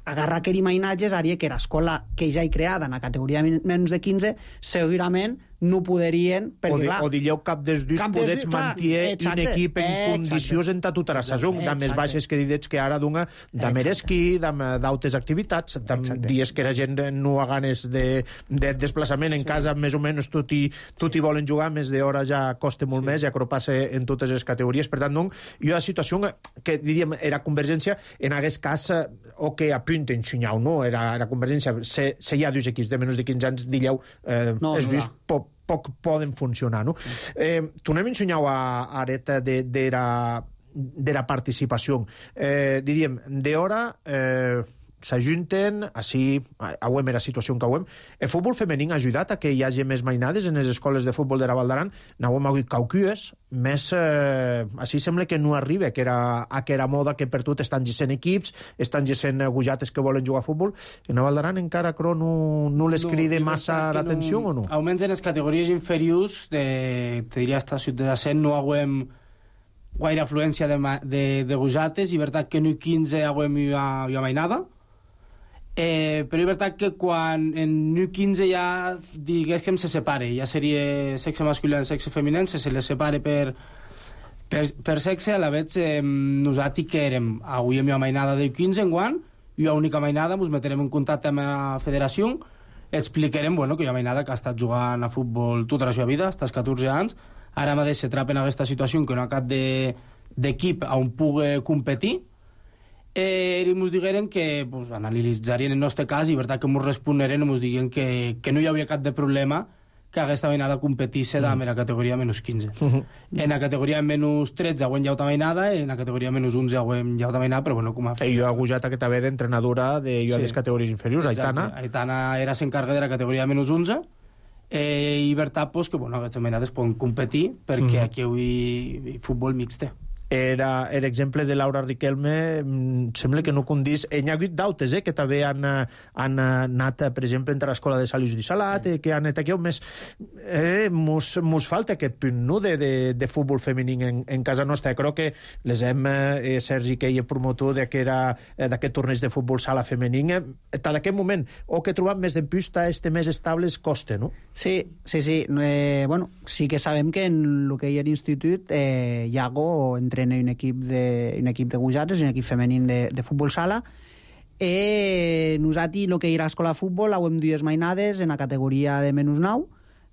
agarrar aquells mainatges haria que l'escola que ja hi creada en la categoria de menys de quinze segurament no poderien... Perquè, o, de, clar, o dilleu cap dels dos podets mantier un equip en exacte. Condicions en tota la saison, de més baixes que didets que ara d'una de mer esquí, d'altres activitats, de dies que la gent no ha ganes de, de desplaçament en sí. casa, més o menys tot hi, tot hi volen jugar, més d'hora ja costa molt sí. més, ja que ho passa en totes les categories. Per tant, doncs, jo la situació que diríem era Convergència, en aquest cas, o que apunten Xinyau, no? Era la Convergència, se, se hi ha dos equips de menys de quinze anys, dilleu, eh, no, és no vist poc poc poden funcionar, no? Eh, tornem a ensenyar a Areta de, de, la, de la participació. Eh, diríem, d'hora eh, s'ajunten, així, hauem la situació que hauem. El futbol femení ha ajudat a que hi hagi més mainades en les escoles de futbol de la Val d'Aran. N'hauem hagut caucues, més, eh, així sembla que no arriba, que era aquella moda que per tot estan gissent equips, estan gissent gujates que volen jugar a futbol. En la Val d'Aran encara, crec, no, no les crida no, massa l'atenció, no, o no? Almenys en les categories inferiors, de, te diria hasta Ciutat de Cent, no hauem gaire afluència de, de, de gujates, i veritat que no quinze hauem una mainada. Eh, però és veritat que quan en U quinze ja digués que se separe, ja seria sexe masculí i sexe femení, se les separe per, per, per sexe. A la vegada eh, nosaltres que érem avui amb una mainada de U quinze enguant, i una única mainada ens metrem en contacte amb la federació, explicarem bueno, que hi ha mainada que ha estat jugant a futbol tota la seva vida, fins als catorze anys, ara mateix se trapa en aquesta situació que no ha cap d'equip de, on pugui competir. Eh, i ens digueren que pues, analitzarien el nostre cas i veritat que ens responderen i ens digueren que, que no hi havia cap de problema que aquesta mainada competisse mm. en la categoria menys quinze. Mm-hmm. En la categoria menys tretze hauem ja una mainada, en la categoria menys onze hauem ja una mainada, però bueno, com a... I jo he agujat aquesta vegada d'entrenadora de jo sí. a les categories inferiors, Aitana. Aitana era s'encarga de la categoria menys onze, eh, i veritat pues, que bueno, aquestes mainades poden competir perquè mm. aquí hi ha futbol mixte. Era l'exemple de Laura Riquelme, sembla que no condís. Hi ha hagut d'altres, eh, que també han, han anat, per exemple, entre l'escola de Salius de Salat, eh, que han anat aquí, més... Eh, mos, mos falta aquest punt, no?, de, de, de futbol femení en, en casa nostra. Crec que les hem, eh, Sergi, que és promotor d'aquest torneig de futbol sala femení, eh, d'aquest moment, o que trobam més d'empusta, este més estables, costa, no? Sí, sí, sí. Eh, bueno, sí que sabem que en el que hi ha l'institut, eh, Iago, entre un equip de, un equip de gujates i un equip femení de, de futbol sala. Eh, nosaltres, el que era l'escola de futbol, hauem dues mainades en la categoria de menys nou,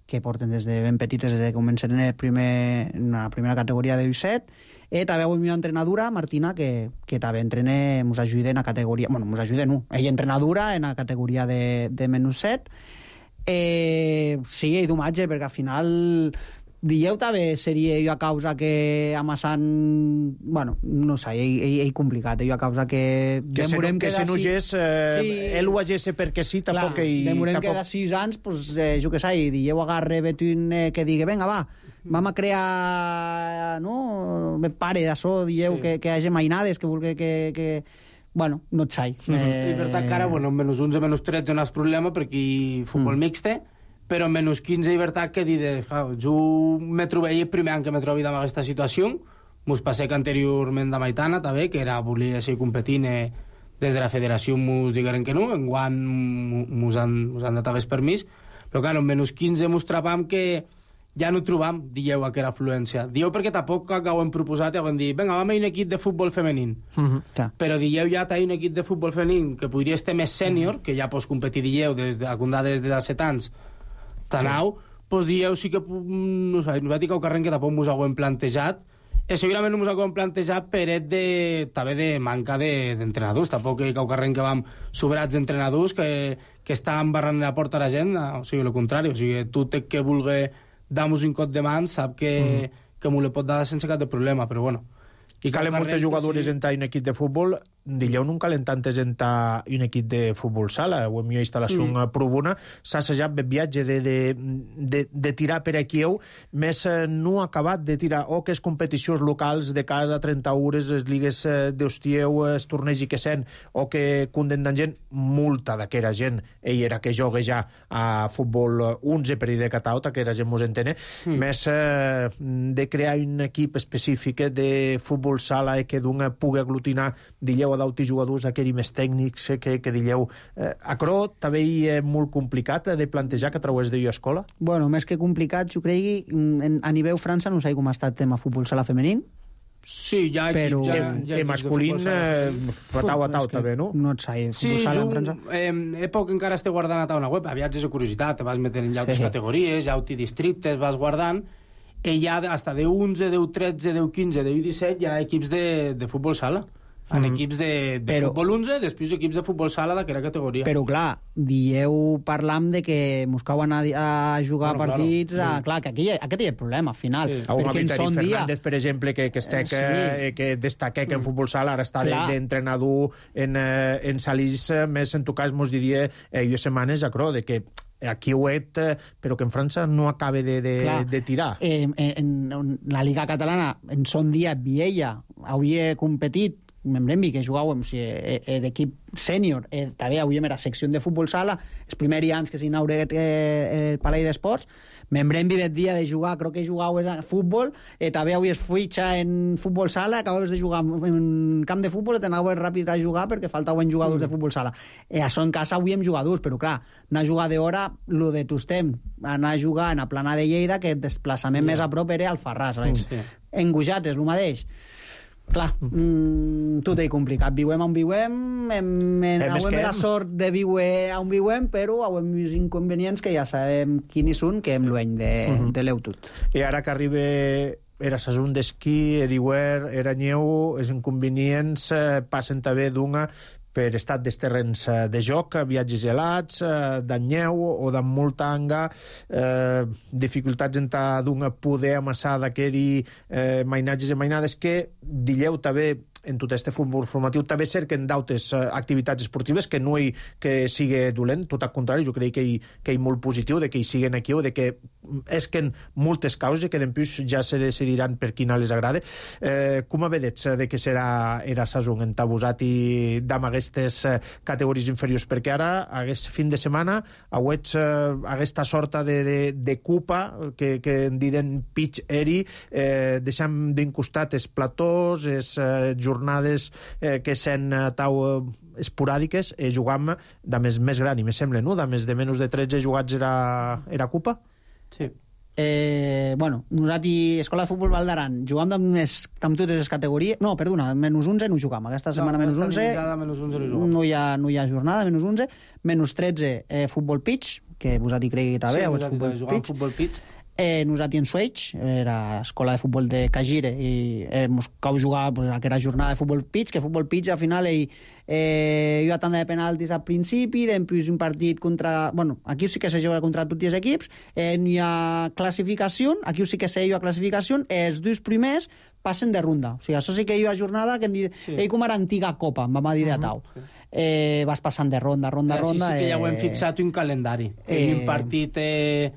que porten des de ben petites, des de que comencen en, el primer, en la primera categoria de U set. I també avui mi entrenadora, Martina, que, que també entrena, ens ajuda en la categoria... Bueno, ens ajuda, no. Ella entrenadora en la categoria de, de menys set. Eh, sí, i d'homatge, perquè al final... Dieu també seria jo a causa que amassant... Bueno, no sé, ell, ell, ell complicat, jo a causa que... Que se, no, que se nogés, eh, sí, ell ho hagesse perquè sí, tampoc... Clar, ell, demorem tampoc... que de sis anys, pues, eh, jo què sé, i dieu agarre Betuin eh, que digui, vinga, va, vam a crear, no, me pare d'això, dieu, sí. que, que hagi mainades, que vulgui que... que... Bueno, no et sai. Mm -hmm. eh... I per tant, cara, bueno, menys onze, menys tretze no és problema, perquè hi futbol mm. mixte, però en menys quinze, i veritat que dius, clar, jo me trobei el primer any que me trobi en aquesta situació, mos passé que anteriorment de Maitana, també, que era volia seguir competint eh, des de la federació, mos digueren que no, enguany mos han, mos han dat el permís, però clar, en menys quinze mos trapam que ja no trobam, dieu, aquella afluència. Dieu perquè tampoc que ho hem proposat i ho hem dit, vinga, vam a un equip de futbol femení. Uh -huh. Però dieu ja té un equip de futbol femení que podria estar més sènior, uh -huh. que ja pots competir, dieu, des de, des de set anys, Tanau, sí. Pues dieu sí que, no sé, nosaltres que ho carrem que tampoc mos ho hem plantejat, i segurament no mos ho hem plantejat per de, també de manca d'entrenadors, de, tampoc que ho carrem que vam sobrats d'entrenadors que, que estan barrant la porta a la gent, o sigui, el contrari, o sigui, tu té que vulgui dar-nos un cop de mans, sap que, mm. que m'ho le pot dar sense cap de problema, però bueno. I calen moltes jugadores sí. en un equip de futbol. Dileu no calen tantes en un equip de futbol sala. Ho hem jo instal·lació mm. provuna. S'ha assajat el viatge de, de, de, de tirar per aquí, més no ha acabat de tirar o que és competicions locals de casa, trenta hores, les ligues d'Hostieu, els torneigs i que sent, o que condemnen gent, multa d'aquera gent. Ell era que joga ja a futbol onze per dir de Cataota, que era gent mos entene, mm. més eh, de crear un equip específic de futbol sala i que d'un pugui aglutinar, dileu, a d'auti jugadors aquells més tècnics que, que dileu. Eh, Acro també és molt complicat de plantejar que a través de jo escola? Bueno, més que complicat, jo crec que a nivell França no sé com ha estat el tema futbol sala femení. Sí, ja però ja, ja, ja masculín eh, tau a tau també, no? No et sé, sí, futbol sala jo, en França. Eh, he poc encara estic guardant a tau una web, aviat és de curiositat, te vas metent en llautes sí. categories, llauti districtes, vas guardant, i ja hasta de onze, de tretze, de quinze, de disset hi ha equips de, de futbol sala. En mm. equips de, de però, futbol onze, després equips de futbol sala d'aquella categoria. Però, clar, dieu parlam de que mos cauen a, a jugar bueno, partits... Claro, sí. a, clar, que aquí, aquest hi ha el problema, al final. Sí. Perquè en son dia... Fernández, per exemple, que, que, estec, sí. eh, que destaca que en futbol sala ara està d'entrenador de, en, eh, en Salís, més en tu cas mos diria eh, jo setmanes a Cro, de que aquí ho et, però que en França no acaba de, de, clar, de tirar. Eh, en, en la Liga Catalana, en son dia, Viella havia competit membrem que jugàvem, o sigui, l'equip sènior, eh, també avui era secció de futbol sala, els primers anys que s'inaugura eh, el Palai d'Esports, membrem el dia de jugar, crec que jugàvem a futbol, eh, també avui es fitxa en futbol sala, acabaves de jugar en camp de futbol i t'anaves ràpid a jugar perquè faltaven jugadors mm. de futbol sala. Eh, això en casa avui hem jugadors, però clar, anar a jugar d'hora, lo de Tostem, anar a jugar en la plana de Lleida, que el desplaçament yeah. més a prop era al Farràs. Mm. Sí. En Gujat és el mateix. Clar, mm, tot és complicat. Viuem on viuem, hem, hem, hem la sort de viure on viuem, però hem vist inconvenients que ja sabem quins són, que hem lueny de, uh -huh. de l'eutut. I ara que arriba era sason d'esquí, eriuer, era nyeu, els inconvenients eh, passen també d'una per estat dels terrenys de joc, viatges gelats, d'en nyeu o d'en molta anga, eh, dificultats en d'un poder amassar d'aquells eh, mainatges i mainades que, dilleu també, en tot este futbol formatiu també cerquen d'altres uh, activitats esportives que no hi que sigui dolent, tot al contrari, jo crec que hi, que hi molt positiu de que hi siguen aquí o de que esquen moltes causes que després ja se decidiran per quina les agrada. Eh, com a vedets de que serà era sason en tabusat i d'am aquestes uh, categories inferiors, perquè ara aquest fin de setmana hauets uh, aquesta sorta de, de, de cupa que, que en diuen pitch eri, eh, deixant d'incostat els platós, els uh, jornades eh, que sent eh, tau eh, esporàdiques, eh, jugam de més, més gran, i me sembla, no? De més de menys de tretze jugats era, era Cupa? Sí. Eh, bueno, nosaltres, Escola de Futbol Val d'Aran, jugam amb, més, amb totes les categories... No, perdona, menys onze no jugam. Aquesta setmana no, menys onze, menys onze no, no, hi ha, no hi ha jornada, menys onze. Menys tretze, eh, futbol pitch, que vosaltres cregui que també, sí, sí, futbol pitch. futbol pitch. Eh, nosaltres en Switch, era escola de futbol de Cagire, i eh, mos cau jugar pues, aquella jornada de futbol pitch, que futbol pitch al final eh, eh, hi ha tanda de penaltis al principi, després un partit contra... Bueno, aquí sí que se juga contra tots els equips, eh, hi ha classificació, aquí sí que se hi ha classificació, eh, els dos primers passen de ronda. O sigui, això sí que hi ha jornada que hem dit, sí. Ell com era antiga copa, em vam dir de tau. Uh -huh. eh, vas passant de ronda, ronda, sí, ronda... Sí, sí que eh, ja ho hem fixat un calendari. Eh, un partit... Eh...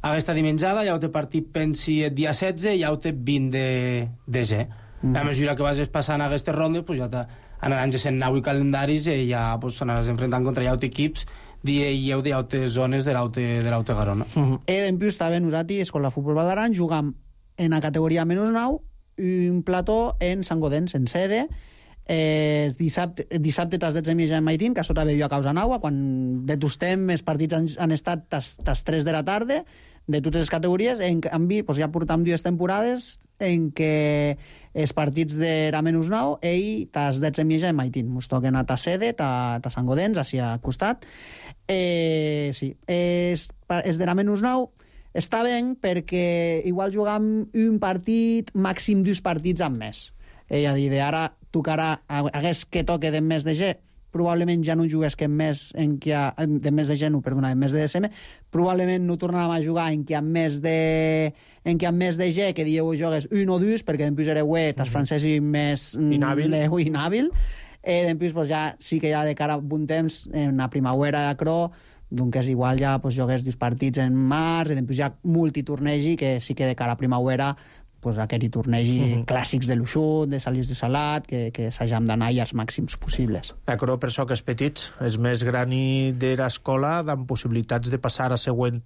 Aquesta dimenjada ja ho té partit, pensi, el dia setze i ja ho té vint de, de ge. Mm. A mesura que vas passant a aquestes rondes, pues ja anaran sent nou i calendaris i ja pues, anaràs enfrontant contra ja equips i heu de zones de l'Aute Garona. Mm -hmm. E en plus també nosaltres, Escola de Futbol Val d'Aran, jugam en la categoria menys nou un plató en Sant Godens, en sede. Eh, dissabte, dissabte tas dotze i mitja en Maitín, que això també hi ha causa naua, quan detostem els partits han, han estat tas, tas tres de la tarda, de totes les categories. En canvi, pues ja portam dues temporades en què els partits de la menys nou, ell tas dotze i mitja en Maitín. Mos toquen a ta sede, ta, ta Sant Godens, així al costat. Eh, sí, és, és de la menys nou està bé perquè igual jugam un partit, màxim dos partits amb més. Eh, a dir, ara tocarà, hagués que toque de més de G, probablement ja no jugués que en més en què ha, de més de G, no, perdona, en més de D S M, probablement no tornàvem a jugar en què amb més de en què amb més de G, que dieu jogues un o dos, perquè després era web, tas francesi més inhàbil, inhàbil. Eh, després pues, ja sí que ja de cara a un temps, en la primavera de Cro, doncs és igual ja pues, jogués dos partits en març, i després ja multitornegi, que sí que de cara a primavera pues, aquell tornegi uh -huh. clàssics de l'Uixut, de Salís de Salat, que, que s'hagam d'anar als màxims possibles. D'acord, per això que els petits, els més grans de l'escola, amb possibilitats de passar a següent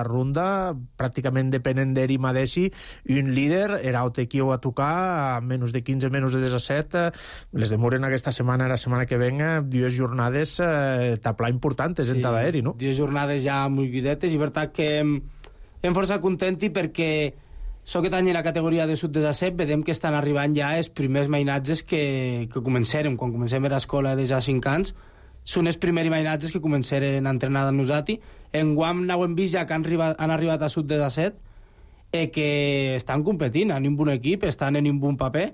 ronda, pràcticament depenen d'eri mateixi, un líder, era o qui ho a tocar, a menys de quinze, menys de disset, les demoren aquesta setmana, la setmana que venga, dues jornades eh, taplar importantes sí, en cada eri, no? Dues jornades ja molt guidetes, i per tant que hem, hem força contenti perquè so aquest any en la categoria de sub disset vedem que estan arribant ja els primers mainatges que, que començarem. Quan comencem a l'escola de ja cinc anys, són els primers mainatges que començarem a entrenar amb nosaltres. En Guam n'ho hem vist ja que han arribat, han arribat a sub disset eh, que estan competint en un bon equip, estan en un bon paper.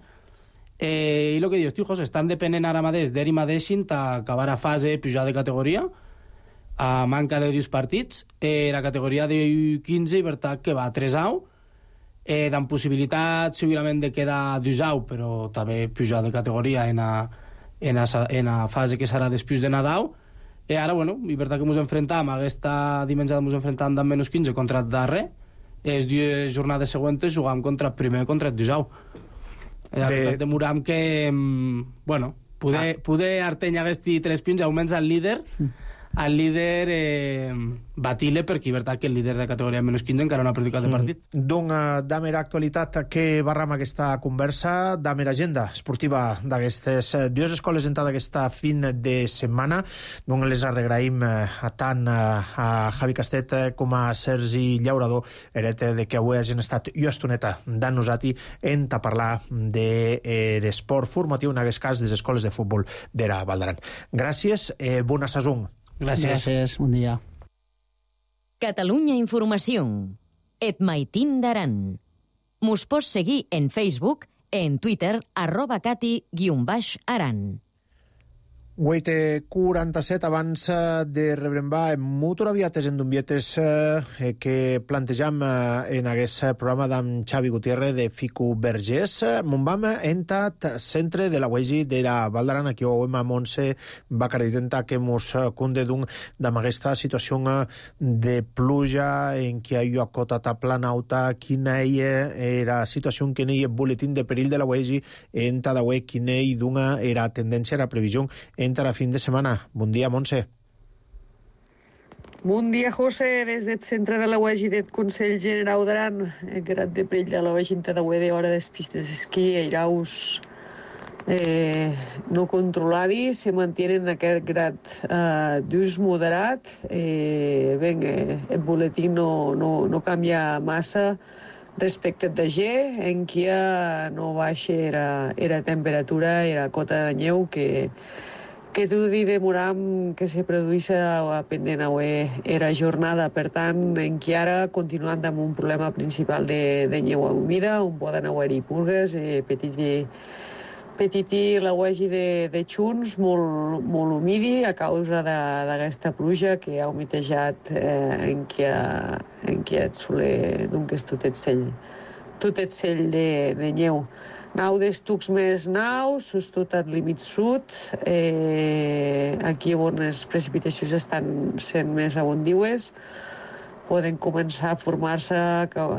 Eh, I el que dius, tu, José, estan depenent ara mateix d'eri mateixin acabar a fase pujar de categoria a manca de dos partits. Eh, la categoria de quinze, i per tant que va a tres au, Eh, amb possibilitat segurament de quedar d'usau, però també pujar de categoria en a, en a, en a fase que serà després de Nadal. I ara, bueno, i per tant que ens enfrentam, aquesta dimensió ens enfrentam d'en menys quinze contra el darrer, les dues jornades següents jugam contra el primer contra el d'usau. De... De... Demoram que, bueno, poder, ah. poder Arteny hagués tres punts, augments al líder, el líder eh, batile perquè és veritat que el líder de categoria menys quinze encara no ha practicat el partit. Mm. Doncs, damer actualitat, que barram aquesta conversa, damer agenda esportiva d'aquestes dues escoles en aquesta fin de setmana. Doncs les agraïm a tant a Javi Castet com a Sergi Llaurador, heret de que avui hagin estat i estoneta d'en nosaltres en a parlar de l'esport formatiu, en aquest cas, de les escoles de futbol d'era Val d'Aran. Gràcies, eh, bona saison. Gràcies. Gràcies, bon dia. Catalunya Informació. Et Maitín d'Aran. Mos pots seguir en Facebook, en Twitter, arroba cati guion baix aran. vuit quaranta-set, abans de rebrembar en Motor Aviates en Dumbietes eh, que plantejam eh, en aquest programa d'en Xavi Gutiérrez de Fico Vergés. Mon vam entat centre de la Uegi de la Val d'Aran, aquí ho hem a Montse va acreditar que mos conde d'un d'amb aquesta situació de pluja en què hi ha cota planauta, quina era la situació que hi ha boletín de perill de la Uegi en Tadawé, quina hi d'una era tendència, era previsió entre a fin de setmana. Bon dia, Montse. Bon dia, José. Des del centre de la U E G i del Consell Generau d'Aran, el grat de perill de la U E G de d'hora des pistes d'esquí, airaus eh, no controladi se mantienen en aquest grad eh, d'ús moderat. Eh, ben, eh, el boletí no, no, no canvia massa respecte d'ayer, en què no baixa era, era temperatura, era cota de neu que, que tu di demoram que se produïssa pendent avui era jornada. Per tant, en què ara continuant amb un problema principal de, de neu humida, on poden haver-hi purgues, eh, petit petití la uegi de, de xuns molt, molt humidi a causa d'aquesta pluja que ha humitejat eh, en què en què et soler donques tot et sell tot et sell de, de neu. Nau d'estucs més naus, tot al límit sud, eh, aquí on les precipitacions estan sent més abundiues, poden començar a formar-se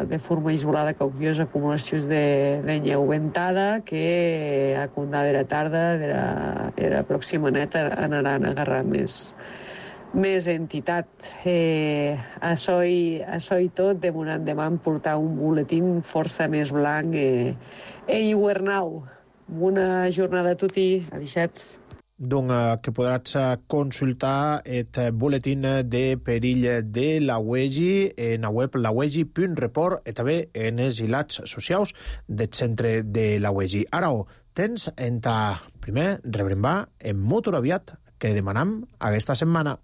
de forma isolada cauquiós acumulacions de, de neu ventada que a condada era tarda, era, era pròxima neta, anaran a agarrar més, més entitat. Eh, això, i, això i tot, demorant demà portar un boletín força més blanc eh, e hivernau. Bona jornada a tutti, adixats. Donc, que podràs consultar el boletín de perill de la U E G I en la web la u e g i punt report i també en els hilats socials del centre de la U E G I. Ara, tens en ta primer rebrembar en Motor Aviat que demanam aquesta setmana.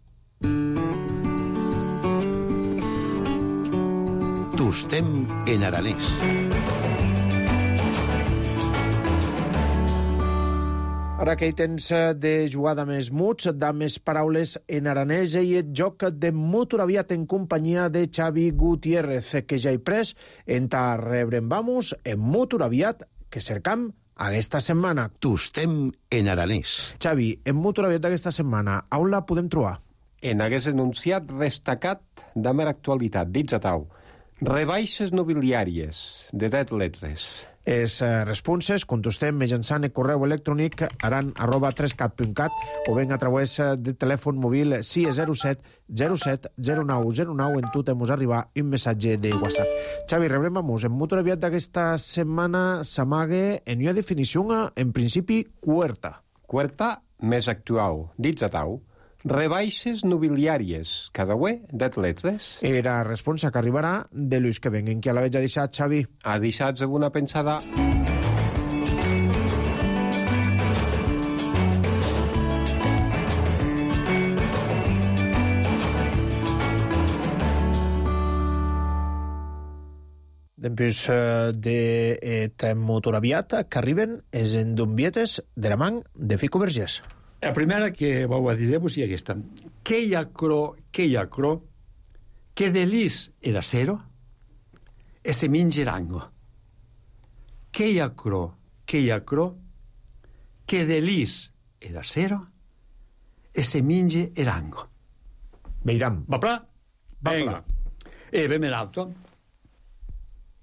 Tostem en aranès. Ara que hi tens de jugada més muts, de més paraules en aranès i el joc de Motor Aviat en companyia de Xavi Gutiérrez, que ja hi pres en ta rebrembamos en Motor Aviat que cercam aquesta setmana. Tostem en aranès. Xavi, en Motor Aviat d'aquesta setmana, on la podem trobar? En hagués enunciat destacat de mera actualitat, dits a tau. Rebaixes nobiliàries de dret letres. Els eh, responses contestem mitjançant el correu electrònic aran arroba tres cat punt cat o ben a través de telèfon mòbil sis zero set zero set zero nou zero nou en tu temus arribar un missatge de WhatsApp. Xavi, rebrem vamos. En Motor Aviat d'aquesta setmana s'amague en una definició en principi cuerta. Cuerta més actual, dits a tau. Rebaixes nobiliàries, cada ué d'atletes. Era responsa que arribarà de l'ús que venguen. Qui a la veig ha deixat, Xavi? Ha deixat alguna pensada? Després de Motor Aviat que arriben els endombietes de la man de Fico Vergés. La primera que vau a dir-vos és aquesta. Que hi ha cro, que hi ha cro, que de lis era cero, e se minge erango. Que hi ha cro, que hi ha cro, que de lis era cero, e se minge erango. Veiram. Va pla? Venga. E ben alto.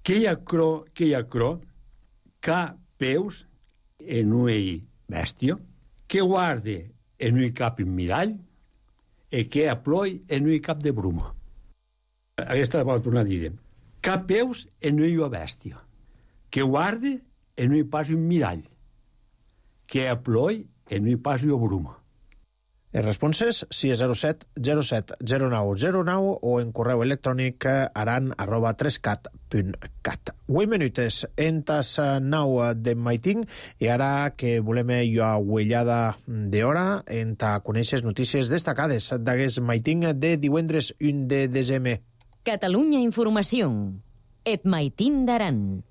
Que hi ha cro, que hi ha cro, ca peus en ui bestio, que guarde en un cap un mirall e que aploi en un cap de bruma. Aquesta va tornar a dir. Cap peus en un bèstia, que guarde en un pas un mirall, que aploi en un pas un bruma. Els responses sis zero set zero set zero nou zero nou o en correu electrònic aran arroba tres cat punt cat. Vuit minutes en tas nou de maiting i ara que volem una uellada d'hora en ta conèixer notícies destacades d'aquest maiting de divendres u de desembre. Catalunya Informació. Et maitín d'Aran.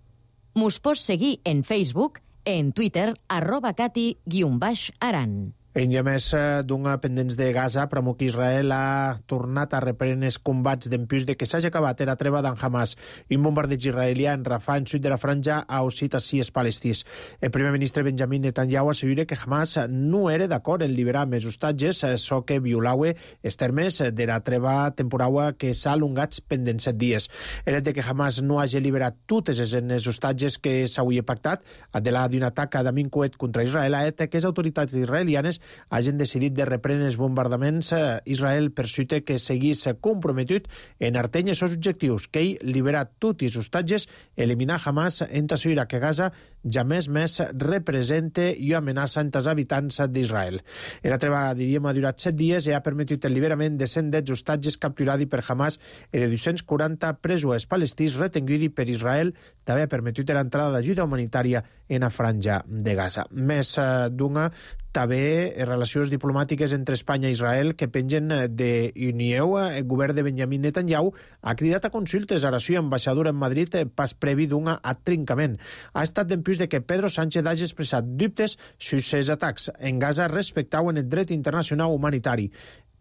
Mos pots seguir en Facebook, en Twitter, arroba cati guion baix aran. En dia més d'un pendents de Gaza, promou que Israel ha tornat a reprendre els combats d'empús de que s'hagi acabat la treva d'en Hamas. Un bombardeig israelià en Rafah, en sud de la franja, ha oscit així els palestins. El primer ministre Benjamin Netanyahu assegura que Hamas no era d'acord en liberar més hostatges, so que violaue els termes de la treva temporal que s'ha allongat pendents set dies. El fet que Hamas no hagi liberat totes els hostatges que s'hauria pactat, de la d'un atac d'amic coet contra Israel, ha fet que les autoritats israelianes hagin decidit de reprendre els bombardaments. Israel persute que seguís comprometut en arteny els seus objectius, que ell liberar tots els hostatges, eliminar Hamas en tassuira que Gaza ja més més represente i amenaça entre els habitants d'Israel. La treva d'idioma ha durat set dies i ha permetit el liberament de cent deu hostatges capturats per Hamas i de dos-cents quaranta presos palestins retenguts per Israel. També ha permetit l'entrada d'ajuda humanitària en la franja de Gaza. Més d'una, també relacions diplomàtiques entre Espanya i Israel que pengen de Unió. El govern de Benjamin Netanyahu ha cridat a consultes a la seva ambaixadora en Madrid pas previ d'una atrincament. Ha estat dempuix de que Pedro Sánchez hagi expressat dubtes sobre els atacs en Gaza respectaven el dret internacional humanitari.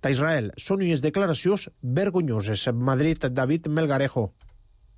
D'Israel són unes declaracions vergonyoses. Madrid, David Melgarejo.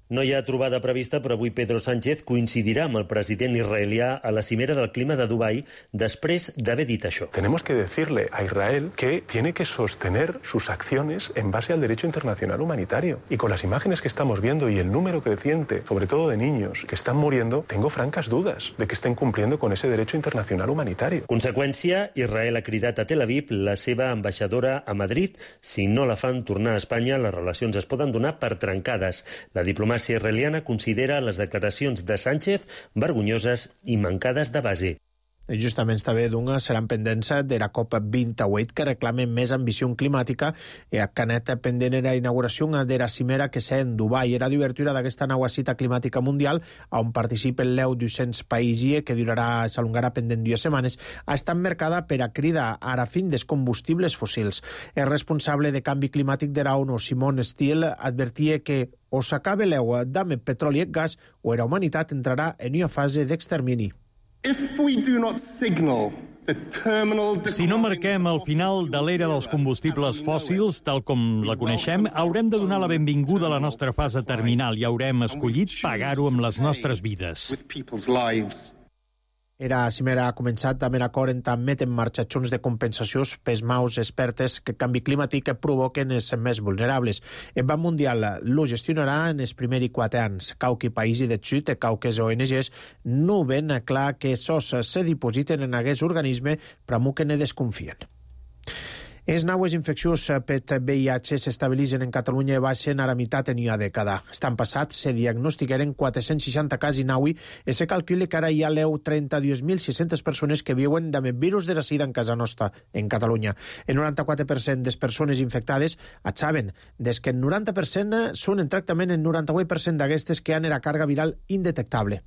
No hi ha trobada prevista, però avui Pedro Sánchez coincidirà amb el president israelià a la cimera del clima de Dubai després d'haver dit això. Tenemos que decirle a Israel que tiene que sostener sus acciones en base al derecho internacional humanitario. Y con las imágenes que estamos viendo y el número creciente, sobre todo de niños que están muriendo, tengo francas dudas de que estén cumpliendo con ese derecho internacional humanitario. Conseqüència, Israel ha cridat a Tel Aviv la seva ambaixadora a Madrid. Si no la fan tornar a Espanya, les relacions es poden donar per trencades. La diplomàcia La israeliana considera les declaracions de Sánchez vergonyoses i mancades de base. Justament també d'una seran pendents de la COP vint-i-vuit que reclamen més ambició climàtica i a Canet pendent la inauguració de la cimera que s'ha en Dubai. Era d'obertura d'aquesta nova cita climàtica mundial on participen l'E U dos-cents països que durarà, s'alongarà pendent dues setmanes. Ha estat marcada per a crida a la fin dels combustibles fòssils. El responsable de canvi climàtic de la ONU, Simon Steele, advertia que o s'acaba l'E U amb el petroli i gas o la humanitat entrarà en una fase d'extermini. Si no marquem el final de l'era dels combustibles fòssils, tal com la coneixem, haurem de donar la benvinguda a la nostra fase terminal i haurem escollit pagar-ho amb les nostres vides. Era cimera ha començat amb l'acord en admet en marxa accions de compensacions pels maus expertes que el canvi climàtic provoquen els més vulnerables. El Banc Mundial lo gestionarà en els primers quatre anys. Cauqui països del sud, cauques O N Gs, no ven clar que sos se dipositen en aquest organisme, però que ne desconfien. Els naues infeccions per V I H s'estabilitzen en Catalunya i baixen a la meitat en una dècada. Estan passat, se diagnosticaren quatre-cents seixanta casos naui i se calcula que ara hi ha trenta-dos mil sis-centes persones que viuen amb el virus de la sida en casa nostra, en Catalunya. El noranta-quatre per cent de les persones infectades et saben, des que el noranta per cent són en tractament, el noranta-vuit per cent d'aquestes que han la càrrega viral indetectable.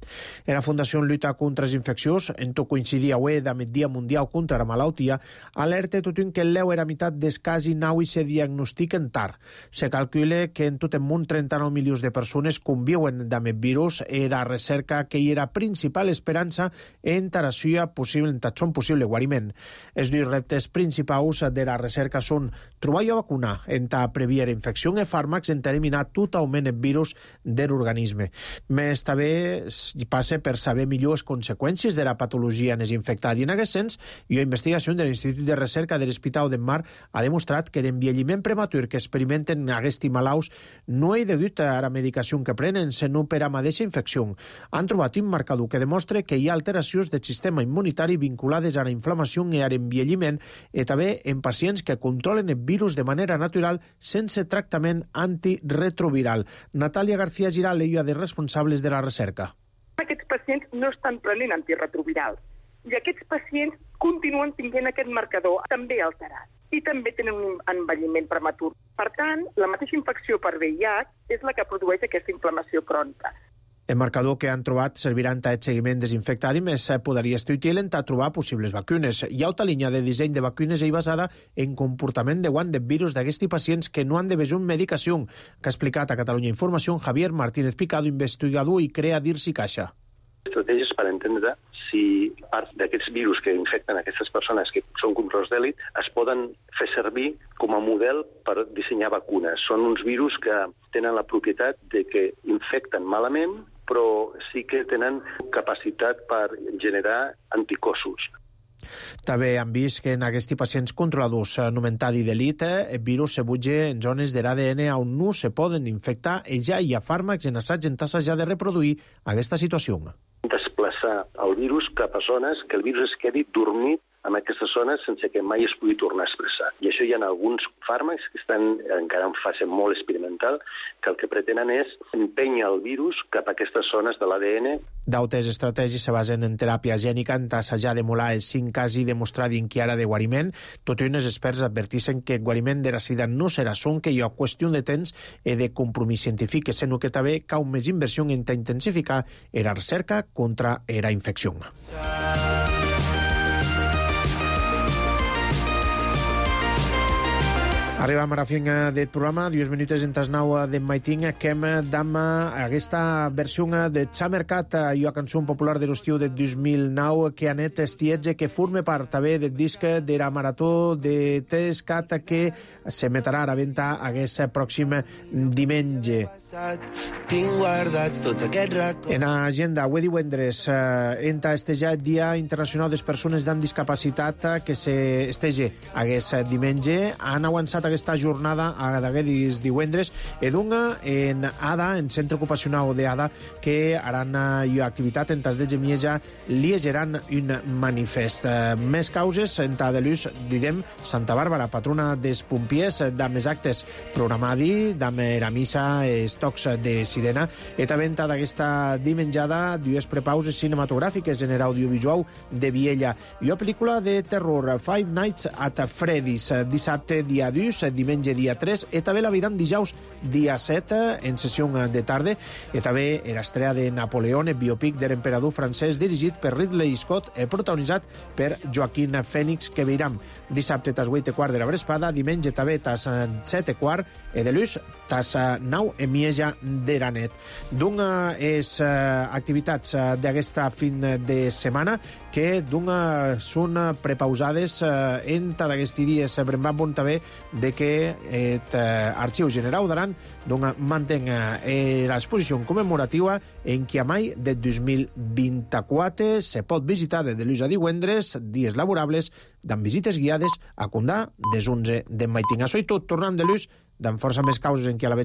En la Fundació Lluita contra les Infeccions, en tot coincidir avui amb el Dia Mundial contra la Malaltia, alerta tothom que l'eu era meitat dels casos naui se diagnostiquen tard. Se calcula que en tot el món trenta-nou milions de persones conviuen amb el virus i la recerca que hi era principal esperança en taracia possible, en tatxon possible guariment. Els dos reptes principals de la recerca són trobar i vacunar en ta previar infecció i fàrmacs en eliminar totalment el virus de l'organisme. Més també passa per saber millor les conseqüències de la patologia en els infectats i en aquest sens, i la investigació de l'Institut de Recerca de l'Hospital del Mar ha demostrat que l'envelliment prematur que experimenten aquests malalts no és degut a la medicació que prenen, sinó per a mateixa infecció. Han trobat un marcador que demostra que hi ha alteracions del sistema immunitari vinculades a la inflamació i a l'envelliment i també en pacients que controlen el virus de manera natural sense tractament antiretroviral. Natàlia García Giral és una dels responsables de la recerca. Aquests pacients no estan prenent antiretrovirals i aquests pacients continuen tenint aquest marcador també alterat i també tenen un envelliment prematur. Per tant, la mateixa infecció per V I H és la que produeix aquesta inflamació crònica. El marcador que han trobat servirà en aquest seguiment desinfectat i més podria estar útil en trobar possibles vacunes. Hi ha una línia de disseny de vacunes i basada en comportament de guant de virus d'aquests pacients que no han de beure medicació, que ha explicat a Catalunya Informació Javier Martínez Picado, investigador i crea d'I R S I Caixa. Estratègies per entendre si part d'aquests virus que infecten aquestes persones que són controls d'èlit es poden fer servir com a model per dissenyar vacunes. Són uns virus que tenen la propietat de que infecten malament, però sí que tenen capacitat per generar anticossos. També han vist que en aquests pacients controladors anomentats d'elite, el virus se butja en zones de l'A D N on no se poden infectar i ja hi ha fàrmacs en assaig en tasses ja de reproduir aquesta situació. Desplaçar el virus cap a zones que el virus es quedi dormit en aquestes zones sense que mai es pugui tornar a expressar. I això hi ha alguns fàrmacs que estan encara en fase molt experimental, que el que pretenen és empènyer el virus cap a aquestes zones de l'A D N. Dautes estratègies se basen en teràpia gènica, en assajar d'emular els cinc casos i demostrar d'inquiara de guariment. Tot i uns experts adverteixen que el guariment de la sida no serà son, que hi ha qüestió de temps i de compromís científic, que sent que també cau més inversió en intensificar la recerca contra la infecció. Arribam a la fin del programa, dues minutes en tasnau d'en Maiting, que hem d'am aquesta versió de Xamercat, una cançó popular de l'estiu de dos mil nou, que anet estietge, que forma part també del disc de la marató de Tescat, que s'emetrà a la venda aquest pròxim diumenge. En agenda, avui divendres, entra estejar el Dia Internacional de les Persones amb Discapacitat, que s'estege aquest diumenge. Han avançat aquesta jornada a d'aquests divendres edunga en Ada, en centre ocupacional d'Ada, que haran una activitat en tas de Gemieja, liegeran un manifest. Més causes en ta de l'ús, didem, Santa Bàrbara, patrona dels pompiers, d'am els actes programadi, d'am la missa, els tocs de sirena, i també en ta d'aquesta dimenjada, dues prepauses cinematogràfiques en l'audiovisual de Viella. I una pel·lícula de terror, Five Nights at Freddy's, dissabte dia dos, diumenge dia tres, i també la veiran dijous dia set, en sessió de tarda, i també l'estrella de Napoleón, el biopic de l'emperador francès, dirigit per Ridley Scott i protagonitzat per Joaquín Phoenix, que veiram dissabte tas vuit i quart de la vesprada, diumenge també tas set i quart, i de l'ús tas nou i mitja de la nit. D'una és activitats d'aquesta fin de setmana que d'una són prepausades en d'aquests dies. Bremban bon també de que l'Arxiu General d'Aran mantén l'exposició commemorativa en qui a mai de dos mil vint-i-quatre se pot visitar des de l'ús a divendres, dies laborables, amb visites guiades a Condà des onze de Maiting. Això i tot, tornant de l'ús, d'en força més causes en qui a la veig